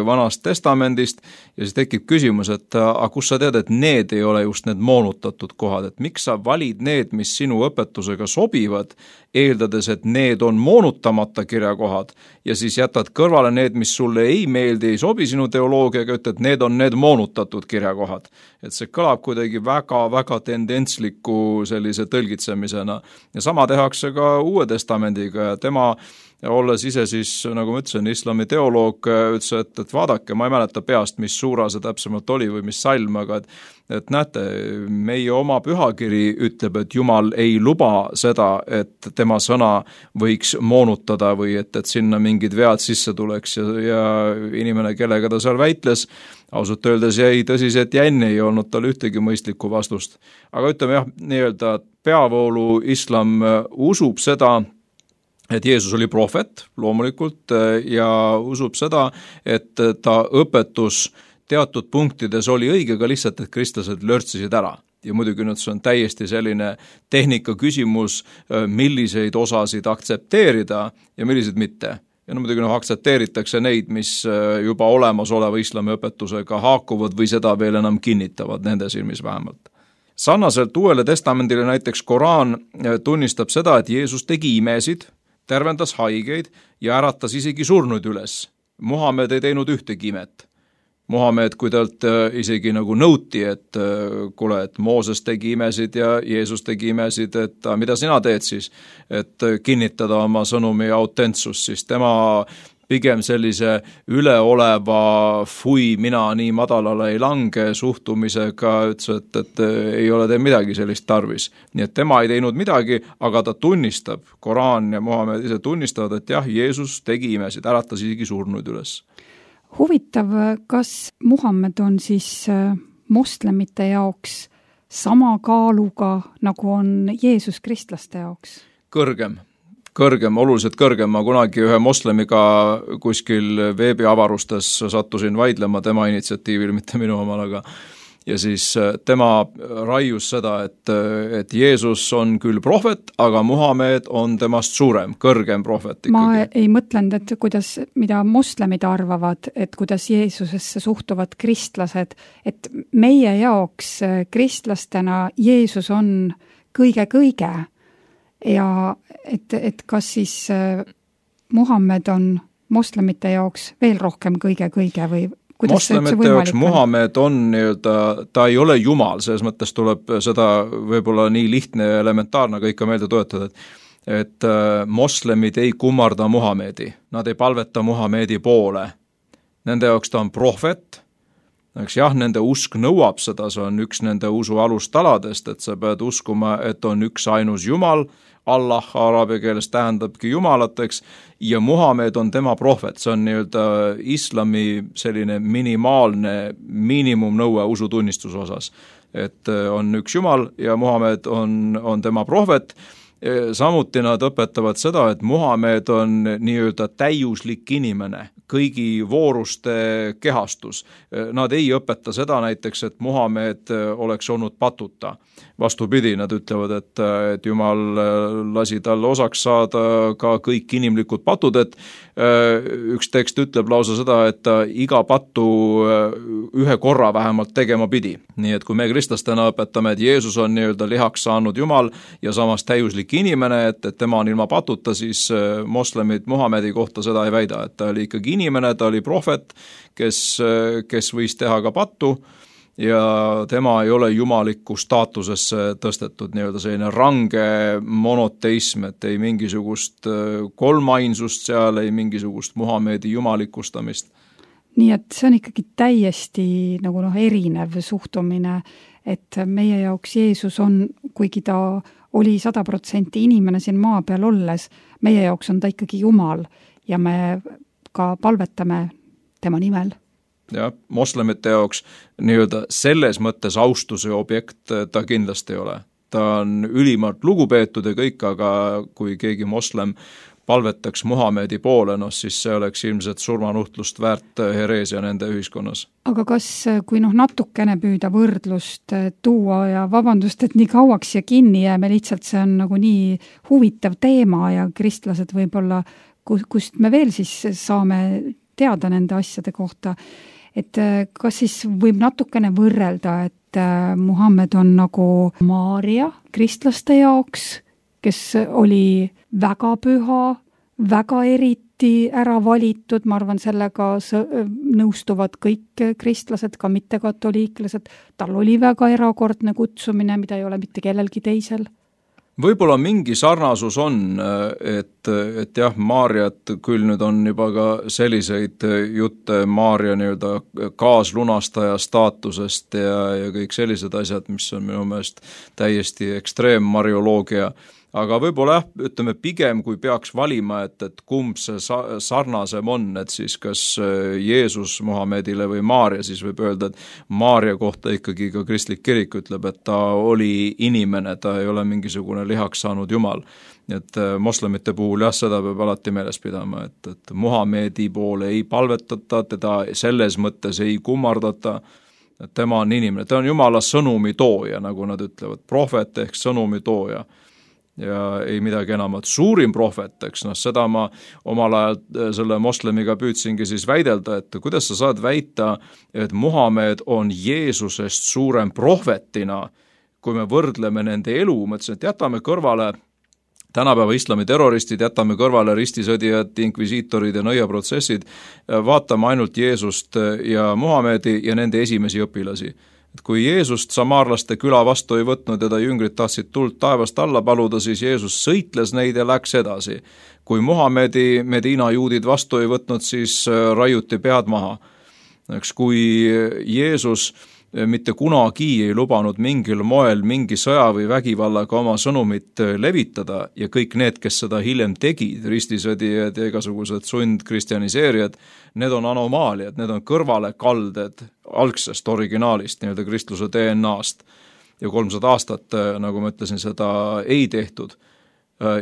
Vanast Testamendist ja siis tekib küsimus, et aga kus sa tead, et need ei ole just need moonutatud kohad, et miks sa valid need, mis sinu õpetusega sobivad, eeldades, et need on moonutamata kirjakohad ja siis jätad kõrvale need, mis sulle ei meeldi, ei sobi sinu teoloogiaga, ütled, need on need moonutatud kirjakohad. Et see kõlab kuidagi väga-väga tendentsliku sellise tõlgitsemisena ja sama tehakse ka Uue Testamendiga ja tema ja olles ise siis, nagu ma ütlesin, islami teoloog, ütles, et, et vaadake, ma ei mäleta peast, mis suura see täpsemalt oli või mis salm, aga et, et näete, meie oma pühakiri ütleb, et Jumal ei luba seda, et tema sõna võiks moonutada või et, et sinna mingid vead sisse tuleks ja, ja inimene, kellega ta seal väitles, ausalt öeldes jäi tõsiselt jänni, ei olnud tal ühtegi mõistlikku vastust. Aga ütleme jah, nii-öelda peavoolu islam usub seda, et Jeesus oli prohvet loomulikult ja usub seda, et ta õpetus teatud punktides oli õige, ka lihtsalt, et kristlased lörtsisid ära. Ja muidugi nüüd see on täiesti selline tehnika küsimus, milliseid osasid aktsepteerida ja milliseid mitte. Ja no muidugi noh, aktsepteeritakse neid, mis juba olemasoleva islami õpetusega haakuvad või seda veel enam kinnitavad, nende silmis vähemalt. Sarnaselt Uuele Testamendile näiteks Koraan tunnistab seda, et Jeesus tegi imesid, tervendas haigeid ja äratas isegi surnuid üles. Muhamed ei teinud ühtegi imet. Muhamed, kui talt isegi nagu nõuti, et kuule, et Mooses tegi imesid ja Jeesus tegi imesid, et mida sina teed siis, et kinnitada oma sõnumi autentsust, siis tema pigem sellise üleoleva fui, mina nii madalale ei lange suhtumisega, ütles, et, et ei ole teil midagi sellist tarvis. Nii et tema ei teinud midagi, aga ta tunnistab, Koraan ja Muhamed ise tunnistavad, et jah, Jeesus tegi imesid, äratas isegi surnuid üles. Huvitav, kas Muhamed on siis moslemite jaoks sama kaaluga, nagu on Jeesus kristlaste jaoks? Kõrgem, kõrgem, oluliselt kõrgem. Ma kunagi ühe moslemiga kuskil veebiavarustes sattusin vaidlema tema initsiatiivil, mitte minu omal, aga ja siis tema raius seda, et, et Jeesus on küll prohvet, aga Muhamed on temast suurem, kõrgem prohvet ikkagi. Ma ei mõtlenud, et kuidas, mida moslemid arvavad, et kuidas Jeesusesse suhtuvad kristlased, et meie jaoks kristlastena Jeesus on kõige-kõige ja et, et kas siis Muhamed on moslemite jaoks veel rohkem kõige-kõige või moslemite jaoks Muhamed on nii-öelda, ta ei ole Jumal, selles mõttes tuleb seda võib-olla nii lihtne ja elementaarne ka ikka meelde toetada, et, et moslemid ei kummarda Muhamedi, nad ei palveta Muhamedi poole. Nende jaoks ta on prohvet, eks jah, nende usk nõuab seda, see on üks nende usu alustaladest, et sa pead uskuma, et on üks ainus Jumal, Allah araabia keeles tähendabki Jumalateks ja Muhamed on tema prohvet, see on nii-öelda islami selline minimaalne miinimumnõue usutunnistuse osas, et on üks Jumal ja Muhamed on, on tema prohvet. Samuti nad õpetavad seda, et Muhamed on nii-öelda täiuslik inimene, kõigi vooruste kehastus. Nad ei õpeta seda näiteks, et Muhamed oleks olnud patuta. Vastupidi, nad ütlevad, et, et Jumal lasi tal osaks saada ka kõik inimlikud patud, et üks tekst ütleb lausa seda, et iga pattu ühe korra vähemalt tegema pidi. Nii et kui me kristlastena õpetame, et Jeesus on nii-öelda lihaks saanud Jumal ja samas täiuslik inimene, et, et tema on ilma patuta, siis moslemid Muhamedi kohta seda ei väida, et ta oli ikkagi inimene, ta oli prohvet, kes, kes võis teha ka pattu ja tema ei ole jumaliku staatusesse tõstetud, nii-öelda selline range monoteism, et ei mingisugust kolmainsust seal, ei mingisugust Muhamedi jumalikustamist. Nii et see on ikkagi täiesti nagu noh, erinev suhtumine, et meie jaoks Jeesus on, kuigi ta oli sada protsenti inimene siin maa peal olles, meie jaoks on ta ikkagi Jumal ja me ka palvetame tema nimel. Ja moslemite jaoks nii-öelda selles mõttes austuse objekt ta kindlasti ei ole. Ta on ülimalt lugupeetud ja kõik, aga kui keegi moslem palvetaks Muhamedi poole, no siis see oleks ilmselt surmanuhtlust väärt hereesia nende ühiskonnas. Aga kas, kui noh natukene püüda võrdlust tuua ja vabandust, et nii kauaks ja kinni jääme, lihtsalt see on nagu nii huvitav teema ja kristlased võib-olla, kust me veel siis saame teada nende asjade kohta, et kas siis võib natukene võrrelda, et Muhammed on nagu Maaria kristlaste jaoks, kes oli väga püha, väga eriti ära valitud, ma arvan, sellega nõustuvad kõik kristlased, ka mittekatoliiklased, tal oli väga erakordne kutsumine, mida ei ole mitte kellelgi teisel. Võib-olla mingi sarnasus on, et et, et jah, Maarjat küll nüüd on juba ka selliseid jutte Maarja nii-öelda kaaslunastaja staatusest ja, ja kõik sellised asjad, mis on minu meelest täiesti ekstreem marioloogia. Aga võib-olla jah, ütleme pigem, kui peaks valima, et, et kumb see sarnasem on, et siis kas Jeesus Muhamedile või Maarja, siis võib öelda, et Maarja kohta ikkagi ka kristlik kirik ütleb, et ta oli inimene, ta ei ole mingisugune lihaks saanud jumal. Et moslemite puhul jah, seda peab alati meeles pidama, et, et Muhamedi poole ei palvetata, teda selles mõttes ei kummardata, et tema on inimene, ta on Jumala sõnumi tooja, nagu nad ütlevad, prohvet ehk sõnumi tooja. Ja ei midagi enamat. Suurim prohvet, eks, noh, seda ma omal ajal selle moslemiga püüdsingi siis väidelda, et kuidas sa saad väita, et Muhamed on Jeesusest suurem prohvetina, kui me võrdleme nende elu, mõtlesin, et jätame kõrvale tänapäeva islami terroristid, jätame kõrvale ristisõdijad, inkvisiitorid ja nõiaprotsessid, vaatame ainult Jeesust ja Muhamedi ja nende esimesi õpilasi. Et kui Jeesust samaarlaste küla vastu ei võtnud ja ta jüngrid tahtsid tuld taevast alla paluda, siis Jeesus sõitles neid ja läks edasi. Kui Muhamedi Medina juudid vastu ei võtnud, siis raiuti pead maha. Eks kui Jeesus mitte kunagi ei lubanud mingil moel mingi sõja või vägivallaga oma sõnumit levitada ja kõik need, kes seda hiljem tegid, ristisõdijad ja igasugused sundkristjaniseerijad, need on anomaaliad, need on kõrvalekalded algsest originaalist, nii-öelda kristluse D N A-st. Ja kolmsada aastat, nagu ma ütlesin, seda ei tehtud.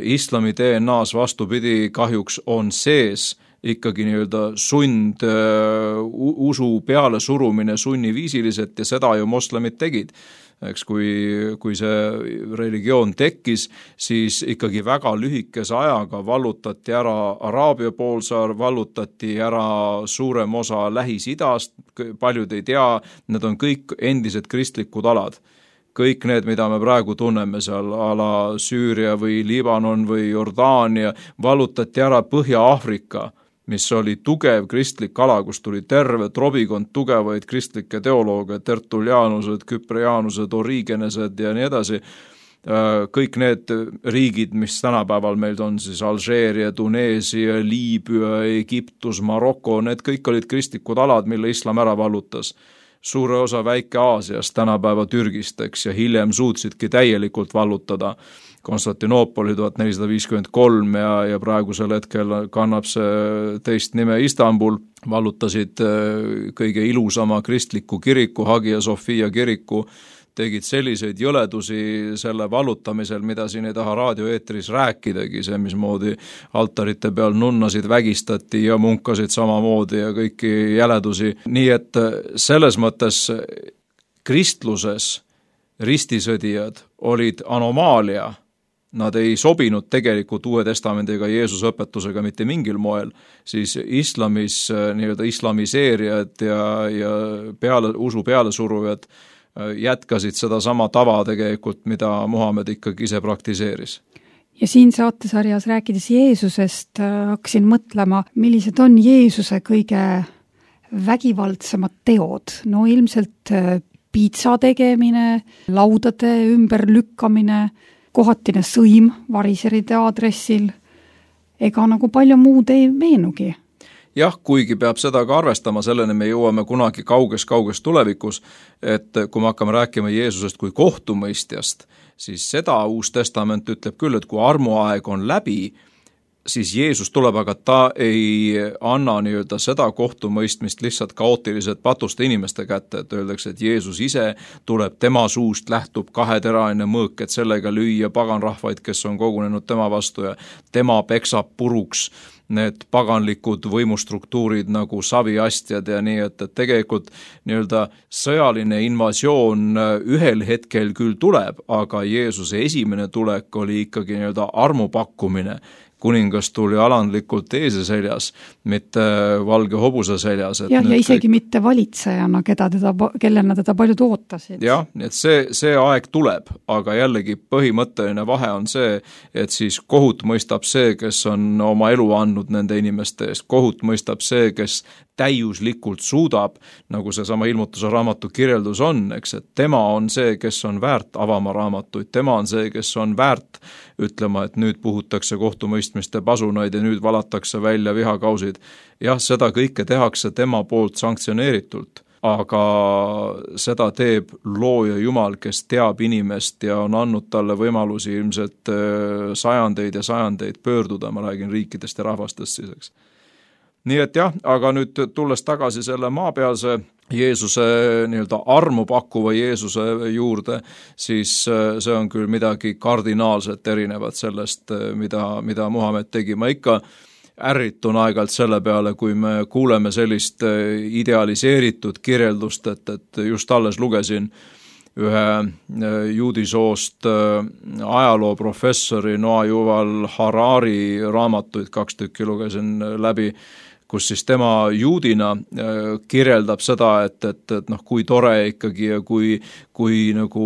Islami D N A-s vastupidi kahjuks on sees ikkagi nii-öelda sund uh, usu peale surumine sunniviisiliselt ja seda ju moslemid tegid. Eks kui, kui see religioon tekkis, siis ikkagi väga lühikese ajaga vallutati ära Araabia poolsaar, vallutati ära suurem osa Lähis-Idast, paljud ei tea, need on kõik endised kristlikud alad. Kõik need, mida me praegu tunneme seal, ala Süüria või Liibanon või Jordaania, vallutati ära Põhja-Aafrika, mis oli tugev kristlik ala, kus tuli terve trobikond tugevaid kristlikke teolooge, tertuliaanused, küpriaanused, origenesed ja nii edasi. Kõik need riigid, mis tänapäeval meil on, siis Alžeeria, Tuneesia, Liibüa, Egiptus, Maroko, need kõik olid kristlikud alad, mille islam ära vallutas. Suure osa Väike-Aasiast, tänapäeva Türgist, eks, ja hiljem suutsidki täielikult vallutada Konstantinoopoli tuhat nelisada viiskümmend kolm ja, ja praegusel hetkel kannab see teist nime Istanbul, vallutasid kõige ilusama kristliku kiriku, Hagia Sophia kiriku, tegid selliseid jõledusi selle vallutamisel, mida siin ei taha raadioeetris rääkidagi, see mismoodi altarite peal nunnasid vägistati ja munkasid samamoodi ja kõiki jäledusi. Nii et selles mõttes kristluses ristisõdijad olid anomaalia. Nad ei sobinud tegelikult Uue Testamendiga Jeesuse õpetusega mitte mingil moel, siis islamis nii-öelda islamiseerijad ja, ja peale, usu pealesurujad jätkasid seda sama tava tegelikult, mida Muhamed ikkagi ise praktiseeris. Ja siin saatesarjas rääkides Jeesusest hakkasin mõtlema, millised on Jeesuse kõige vägivaldsemad teod. No ilmselt piitsa tegemine, laudade ümberlükkamine, kohatine sõim variseride aadressil, ega nagu palju muud ei meenugi. Jah, kuigi peab seda ka arvestama, selleni me jõuame kunagi kauges-kauges tulevikus, et kui me hakkame rääkima Jeesusest kui kohtumõistjast, siis seda Uus Testament ütleb küll, et kui armuaeg on läbi, siis Jeesus tuleb, aga ta ei anna nii-öelda seda kohtumõistmist lihtsalt kaootiliselt patuste inimeste kätte, et öeldakse, et Jeesus ise tuleb, tema suust lähtub kaheteraine mõõk, et sellega lüüa paganrahvaid, kes on kogunenud tema vastu ja tema peksab puruks need paganlikud võimustruktuurid nagu saviastjad ja nii, et, et tegelikult nii-öelda sõjaline invasioon ühel hetkel küll tuleb, aga Jeesuse esimene tulek oli ikkagi nii-öelda armupakkumine. Kuningas tuli alandlikult eese seljas, mitte valge hobuse seljas. Et jah, ja isegi kõik... mitte valitsejana, keda teda, kellena teda paljud ootasid. Jah, et see, see aeg tuleb, aga jällegi põhimõtteline vahe on see, et siis kohut mõistab see, kes on oma elu andnud nende inimeste eest. Kohut mõistab see, kes täiuslikult suudab, nagu see sama ilmutuse raamatu kirjeldus on, eks, et tema on see, kes on väärt avama raamatuid, tema on see, kes on väärt ütlema, et nüüd puhutakse kohtumõistmiste pasunaid ja nüüd valatakse välja vihakausid. Jah, seda kõike tehakse tema poolt sanktsioneeritult, aga seda teeb looja Jumal, kes teab inimest ja on andnud talle võimalusi ilmselt sajandeid ja sajandeid pöörduda, ma räägin riikidest ja rahvastest siis, eks. Nii et jah, aga nüüd tulles tagasi selle maapealse Jeesuse nii-öelda armu pakkuva Jeesuse juurde, siis see on küll midagi kardinaalselt erinevat sellest, mida, mida Muhamed tegi. Ma ikka ärritun aegalt selle peale, kui me kuuleme sellist idealiseeritud kirjeldust, et, et just alles lugesin ühe juudisoost ajalooprofessori Noah Yuval Harari raamatuid, kaks tükki lugesin läbi, kus siis tema juudina kirjeldab seda, et, et, et noh, kui tore ikkagi ja kui, kui nagu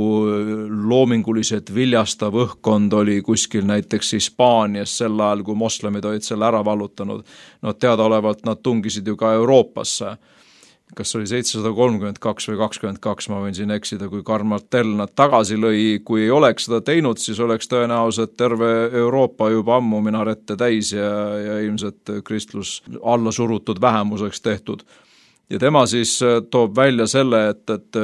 loominguliselt viljastav õhkkond oli kuskil näiteks Hispaanias sel ajal, kui moslemid olid selle ära vallutanud. No teadaolevalt nad tungisid ju ka Euroopasse. Kas oli seitsesada kolmkümmend kaks või kakskümmend kaks, ma võin siin eksida, kui Karl Martell nad tagasi lõi, kui ei oleks seda teinud, siis oleks tõenäoliselt terve Euroopa juba ammu minarette täis ja, ja ilmselt kristlus alla surutud vähemuseks tehtud. Ja tema siis toob välja selle, et, et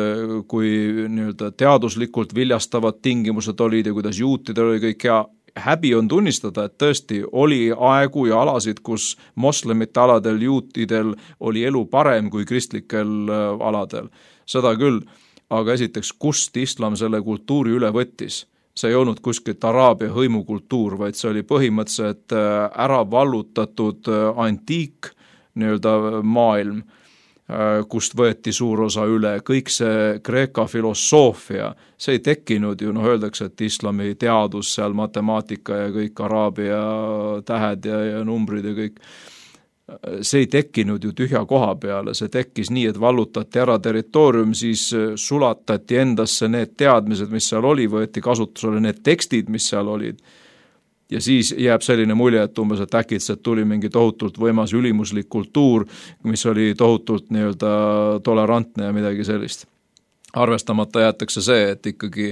kui nii-öelda teaduslikult viljastavad tingimused olid ja kuidas juutidel oli kõik hea, häbi on tunnistada, et tõesti oli aegu ja alasid, kus moslemite aladel juutidel oli elu parem kui kristlikel aladel. Seda küll, aga esiteks, kust islam selle kultuuri üle võttis? See ei olnud kuskilt Araabia hõimukultuur, vaid see oli põhimõtteliselt ära vallutatud antiik nii-öelda maailm, kust võeti suur osa üle, kõik see Kreeka filosoofia, see ei tekkinud ju, noh öeldakse, et islami teadus, seal matemaatika ja kõik araabia tähed ja, ja numbrid ja kõik, see ei tekkinud ju tühja koha peale, see tekkis nii, et vallutati ära territoorium, siis sulatati endasse need teadmised, mis seal oli, võeti kasutusele need tekstid, mis seal olid. Ja siis jääb selline mulje, et umbes, et äkitselt tuli mingi tohutult võimas ülimuslik kultuur, mis oli tohutult nii-öelda tolerantne ja midagi sellist. Arvestamata jäetakse see, et ikkagi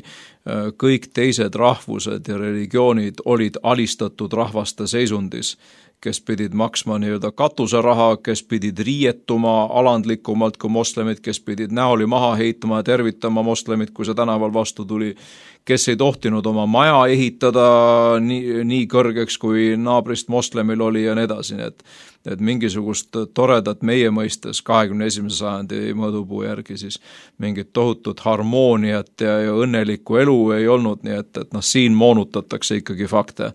kõik teised rahvused ja religioonid olid alistatud rahvaste seisundis, kes pidid maksma nii-öelda katuseraha, kes pidid riietuma alandlikumalt kui moslemid, kes pidid näoli maha heitma ja tervitama moslemid, kui see tänaval vastu tuli, kes ei tohtinud oma maja ehitada nii, nii kõrgeks, kui naabrist moslemil oli ja nii edasi, nii et, et mingisugust toredat meie mõistes kahekümne esimese sajandi mõõdupuu järgi siis mingit tohutut harmooniat ja, ja õnnelikku elu ei olnud, nii et, et noh, siin moonutatakse ikkagi fakte.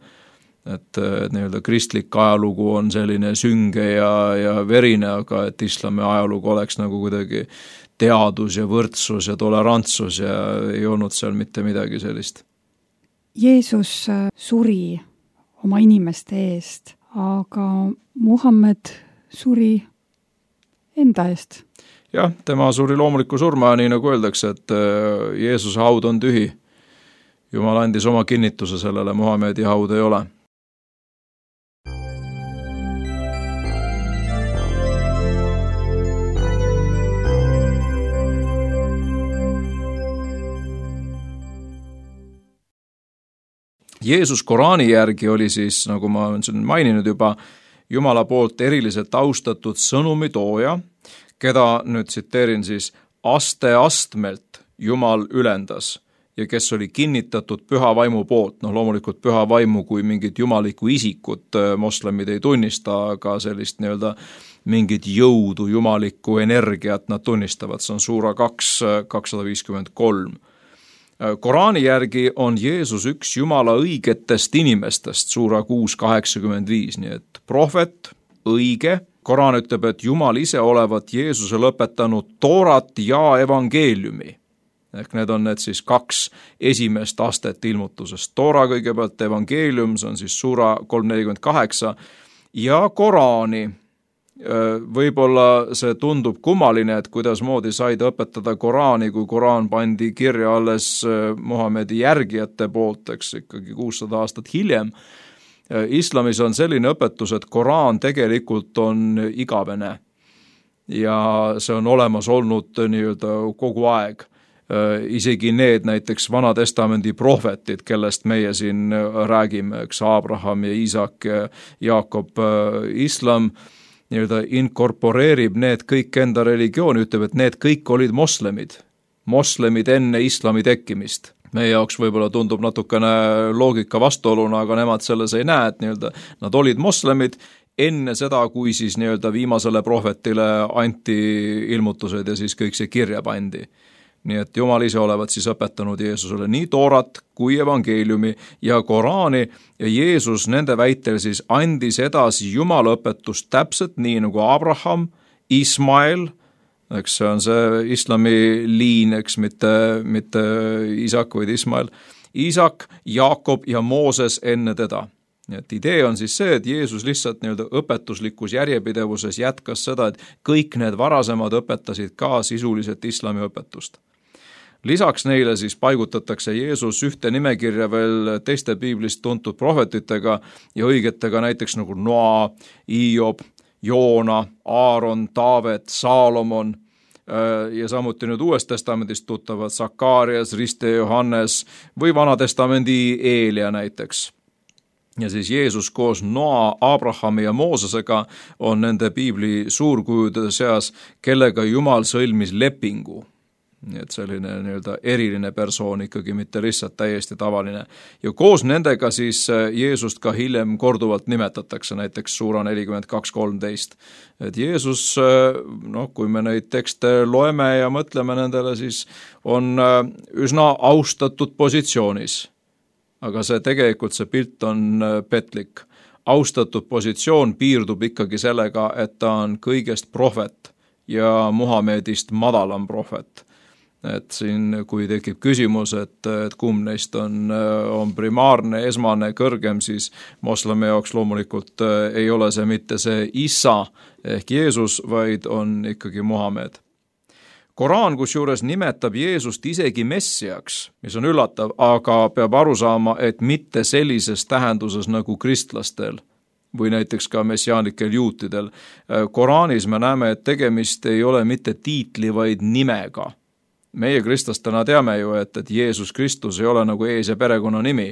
Et, et nii-öelda kristlik ajalugu on selline sünge ja, ja verine, aga et islami ajalugu oleks nagu kuidagi teadus ja võrdsus ja tolerantsus ja ei olnud seal mitte midagi sellist. Jeesus suri oma inimeste eest, aga Muhammed suri enda eest. Jah, tema suri loomuliku surma, nii nagu öeldakse, et Jeesuse haud on tühi. Jumal andis oma kinnituse sellele, Muhamedi haud ei ole. Jeesus Koraani järgi oli siis, nagu ma olen maininud juba, Jumala poolt eriliselt austatud sõnumitooja, keda nüüd tsiteerin siis aste astmelt Jumal ülendas ja kes oli kinnitatud püha vaimu poolt. No loomulikult püha vaimu kui mingit jumalikku isikut moslemid ei tunnista, aga sellist nii-öelda mingit jõudu, jumalikku energiat nad tunnistavad. See on suura kaks, kakssada viiskümmend kolm. Koraani järgi on Jeesus üks Jumala õigetest inimestest, suura kuus kaheksakümmend viis, nii et prohvet, õige. Koraan ütleb, et Jumal ise olevat Jeesuse lõpetanud toorat ja evangeeliumi. Ehk need on need siis kaks esimest astet ilmutusest. Toora kõigepealt evangeelium, see on siis suura kolm nelikümmend kaheksa ja Koraani. Võib-olla see tundub kummaline, et kuidas moodi said õpetada Koraani, kui Koraan pandi kirja alles Muhamedi järgijate poolt, eks ikkagi kuussada aastat hiljem. Islamis on selline õpetus, et Koraan tegelikult on igavene. ja see on olemas olnud nii-öelda kogu aeg. Isegi need näiteks Vana-testamendi prohvetid, kellest meie siin räägime, eks Abraham ja Iisak ja Jaakob, islam nii-öelda inkorporeerib need kõik enda religiooni, ütleb, et need kõik olid moslemid, moslemid enne islami tekkimist. Meie jaoks võib-olla tundub natukene loogika vastuoluna, aga nemad selles ei näe, et nii-öelda nad olid moslemid enne seda, kui siis nii-öelda viimasele prohvetile anti ilmutused ja siis kõik see kirja pandi. Nii et Jumal ise olevat siis õpetanud Jeesusele nii Toorat kui evangeeliumi ja Koraani ja Jeesus nende väitel siis andis edasi Jumala õpetust täpselt nii nagu Abraham, Ismael, eks see on see islami liin, eks mitte, mitte Isak, vaid Ismael, Iisak, Jaakob ja Mooses enne teda. Nii et idee on siis see, et Jeesus lihtsalt nii-öelda õpetuslikus järjepidevuses jätkas seda, et kõik need varasemad õpetasid ka sisuliselt islami õpetust. Lisaks neile siis paigutatakse Jeesus ühte nimekirja veel teiste piiblist tuntud prohvetitega ja õigetega näiteks nagu Noa, Hiob, Joona, Aaron, Taavet, Saalomon ja samuti nüüd Uuest testamendist tuttavad Sakarias, Riste, Johannes või Vana-testamendi Eelia näiteks. Ja siis Jeesus koos Noa, Abrahami ja Moosesega on nende piibli suurkujude seas, kellega Jumal sõlmis lepingu. Nii et selline nii-öelda eriline persoon ikkagi, mitte lihtsalt täiesti tavaline. Ja koos nendega siis Jeesust ka hiljem korduvalt nimetatakse, näiteks suura nelikümmend kaks kolmteist. Et Jeesus, noh, kui me neid tekste loeme ja mõtleme nendele, siis on üsna austatud positsioonis. Aga see tegelikult see pilt on petlik. Austatud positsioon piirdub ikkagi sellega, et ta on kõigest prohvet ja Muhamedist madalam prohvet. Et siin, kui tekib küsimus, et, et kumb neist on, on primaarne, esmane, kõrgem, siis moslemi jaoks loomulikult ei ole see mitte see Isa ehk Jeesus, vaid on ikkagi Muhamed. Koraan kusjuures nimetab Jeesust isegi messiaks, mis on üllatav, aga peab aru saama, et mitte sellises tähenduses nagu kristlastel või näiteks ka messiaanikel juutidel. Koraanis me näeme, et tegemist ei ole mitte tiitli, vaid nimega. Meie kristlastena teame ju, et, et Jeesus Kristus ei ole nagu ees- ja perekonna nimi,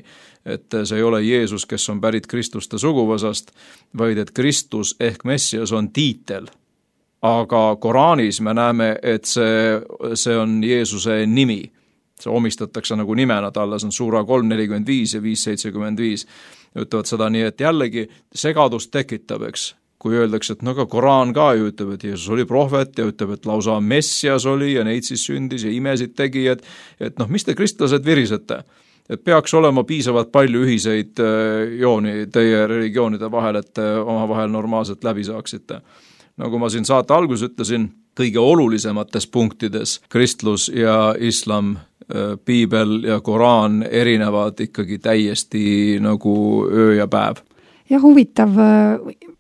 et see ei ole Jeesus, kes on pärit Kristuste suguvõsast, vaid et Kristus ehk Messias on tiitel. Aga Koraanis me näeme, et see, see on Jeesuse nimi. See omistatakse nagu nimena talle, see on suura kolm nelikümmend viis ja viis seitsekümmend viis. Ütlevad seda nii, et jällegi segadust tekitab, eks. Kui öeldakse, et no ka Koraan ka ju ütleb, et Jeesus oli prohvet ja ütleb, et lausa Messias oli ja neid siis sündis ja imesid tegi, et, et noh, mis te kristlased virisete? Et peaks olema piisavalt palju ühiseid jooni teie religioonide vahel, et omavahel normaalselt läbi saaksite. Nagu ma siin saate algus ütlesin, kõige olulisemates punktides kristlus ja islam, piibel ja Koraan erinevad ikkagi täiesti nagu öö ja päev. Ja huvitav,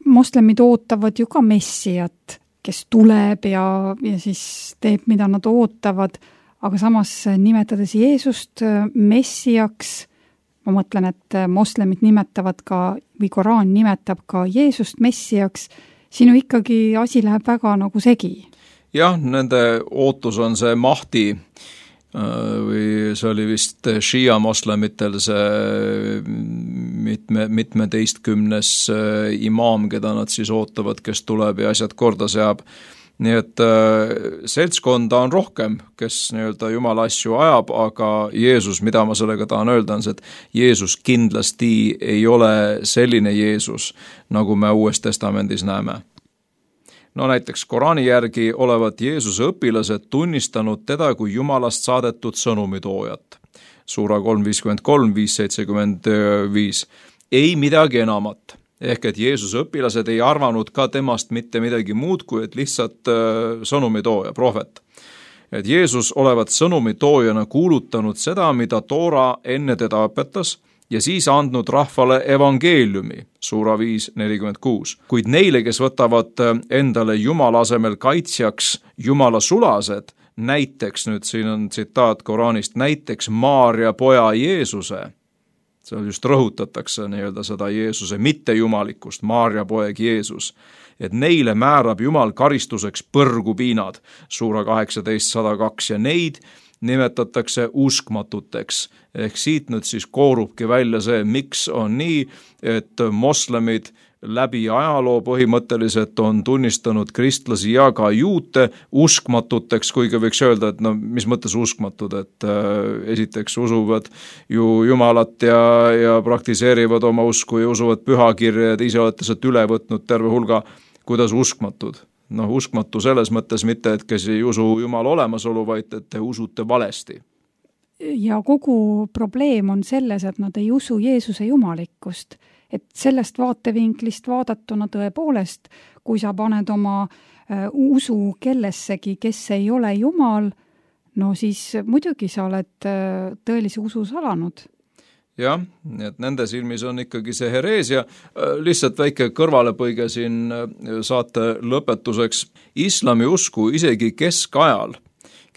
moslemid ootavad ju ka messiat, kes tuleb ja, ja siis teeb, mida nad ootavad, aga samas nimetades Jeesust messiaks, ma mõtlen, et moslemid nimetavad ka, või Koraan nimetab ka Jeesust messiaks, sinu ikkagi asi läheb väga nagu segi. Jah, nende ootus on see Mahdi, või see oli vist Shia moslemitel see mitme, mitmeteistkümnes imaam, keda nad siis ootavad, kes tuleb ja asjad korda seab. Nii et seltskonda on rohkem, kes nii-öelda Jumala asju ajab, aga Jeesus, mida ma sellega tahan öelda, on see, et Jeesus kindlasti ei ole selline Jeesus, nagu me Uues testamendis näeme. No näiteks Koraani järgi olevat Jeesuse õpilased tunnistanud teda kui Jumalast saadetud sõnumitoojat. Suura kolm viiskümmend kolm, viis seitsekümmend viis. Ei midagi enamat. Ehk et Jeesuse õpilased ei arvanud ka temast mitte midagi muud, kui et lihtsalt sõnumitooja, prohvet. Et Jeesus olevat sõnumitoojana kuulutanud seda, mida Toora enne teda õpetas, ja siis andnud rahvale evangeeliumi, suura viis nelikümmend kuus. Kuid neile, kes võtavad endale Jumala asemel kaitsjaks Jumala sulased, näiteks, nüüd siin on tsitaat Koraanist, näiteks Maaria poja Jeesuse, seal just rõhutatakse nii-öelda seda Jeesuse mittejumalikkust, Maarja poeg Jeesus, et neile määrab Jumal karistuseks põrgupiinad, suura kaheksateist sada kaks, ja neid nimetatakse uskmatuteks. Ehk siit nüüd siis koorubki välja see, miks on nii, et moslemid läbi ajaloo põhimõtteliselt on tunnistanud kristlasi ja ka juute uskmatuteks, kuigi võiks öelda, et no mis mõttes uskmatud, et äh, esiteks usuvad ju Jumalat ja, ja praktiseerivad oma usku ja usuvad pühakirja, et ise olete sealt üle võtnud terve hulga, kuidas uskmatud. Noh, uskmatu selles mõttes mitte, et kes ei usu Jumala olemasolu, vaid et te usute valesti. Ja kogu probleem on selles, et nad ei usu Jeesuse jumalikkust. Et sellest vaatevinklist vaadatuna tõepoolest, kui sa paned oma äh, usu kellessegi, kes ei ole Jumal, no siis muidugi sa oled äh, tõelise usu salanud. Jah, et nende silmis on ikkagi see hereesia. Lihtsalt väike kõrvalepõige siin saate lõpetuseks. Islami usku isegi keskajal,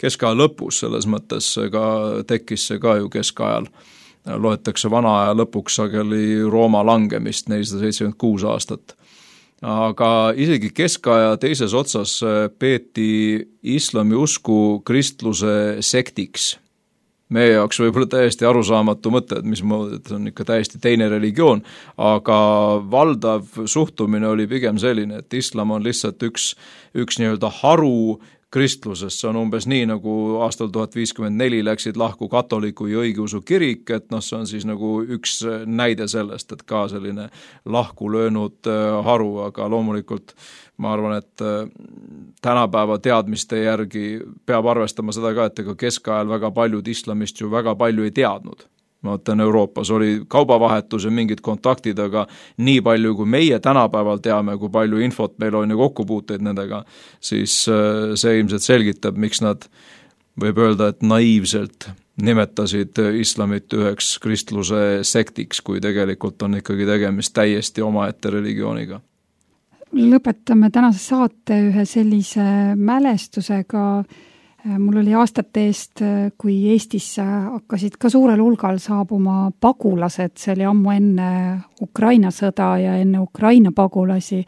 keskaja lõpus selles mõttes ka tekkis see ka ju keskajal. Loetakse vana aja lõpuks sageli Rooma langemist nelisada seitsekümmend kuus aastat. Aga isegi keskaja teises otsas peeti islami usku kristluse sektiks. Meie jaoks võib-olla täiesti arusaamatu mõte, et mis moodi, et on ikka täiesti teine religioon, aga valdav suhtumine oli pigem selline, et islam on lihtsalt üks, üks nii-öelda haru kristlusest, see on umbes nii, nagu aastal tuhat viiskümmend neli läksid lahku katoliku ja õigeusu kirik, et noh, see on siis nagu üks näide sellest, et ka selline lahku löönud haru, aga loomulikult ma arvan, et tänapäeva teadmiste järgi peab arvestama seda ka, et ega keskajal väga paljud islamist ju väga palju ei teadnud. Ma mõtlen, Euroopas oli kaubavahetus ja mingid kontaktid, aga nii palju, kui meie tänapäeval teame, kui palju infot meil on ja kokkupuuteid nendega, siis see ilmselt selgitab, miks nad võib öelda, et naiivselt nimetasid islamit üheks kristluse sektiks, kui tegelikult on ikkagi tegemist täiesti omaette religiooniga. Lõpetame tänase saate ühe sellise mälestusega. Mul oli aastate eest, kui Eestisse hakkasid ka suurel hulgal saabuma pagulased, see oli ammu enne Ukraina sõda ja enne Ukraina pagulasi.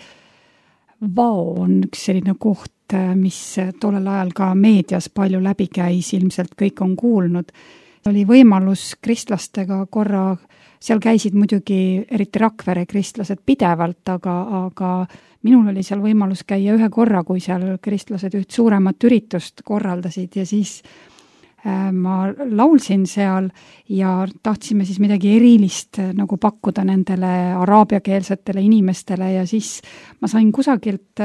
Vao on üks selline koht, mis tollel ajal ka meedias palju läbi käis, ilmselt kõik on kuulnud. Oli võimalus kristlastega korra, seal käisid muidugi eriti Rakvere kristlased pidevalt, aga, aga minul oli seal võimalus käia ühe korra, kui seal kristlased üht suuremat üritust korraldasid ja siis äh, ma laulsin seal ja tahtsime siis midagi erilist nagu pakkuda nendele araabiakeelsetele inimestele ja siis ma sain kusagilt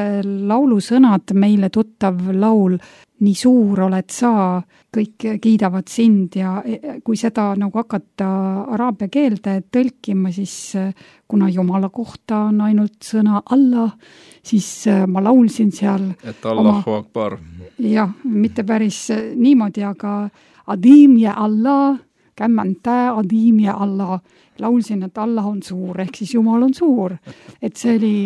laulusõnad, meile tuttav laul Nii suur oled sa, kõik kiidavad sind ja kui seda nagu hakata araabia keelde tõlkima, siis kuna Jumala kohta on ainult sõna Allah, siis ma laulsin seal et Allahu Akbar. Jah, mitte päris niimoodi, aga Adim ja Allah, kämmäntä Adim ja Allah. Laulsin, et Allah on suur, ehk siis Jumal on suur. Et see oli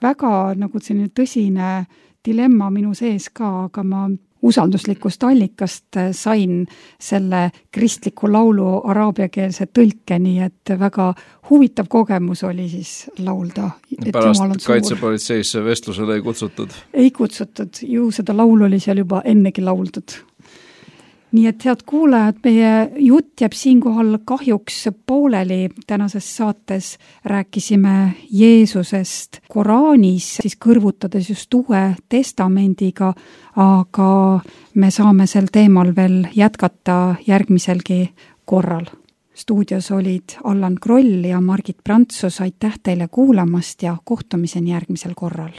väga nagu selline tõsine dilemma minu sees ka, aga ma usalduslikust allikast sain selle kristliku laulu araabiakeelse tõlke, nii et väga huvitav kogemus oli siis laulda. Pärast kaitsepolitseisse vestlusele ei kutsutud? Ei kutsutud, ju seda laulu oli seal juba ennegi lauldud. Nii et head kuulajad, meie jutt jääb siinkohal kahjuks pooleli. Tänases saates rääkisime Jeesusest Koraanis, siis kõrvutades just Uue Testamendiga, aga me saame sel teemal veel jätkata järgmiselgi korral. Stuudios olid Allan Kroll ja Margit Prantsus. Aitäh teile kuulamast ja kohtumiseni järgmisel korral.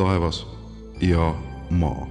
Taevas ja maa.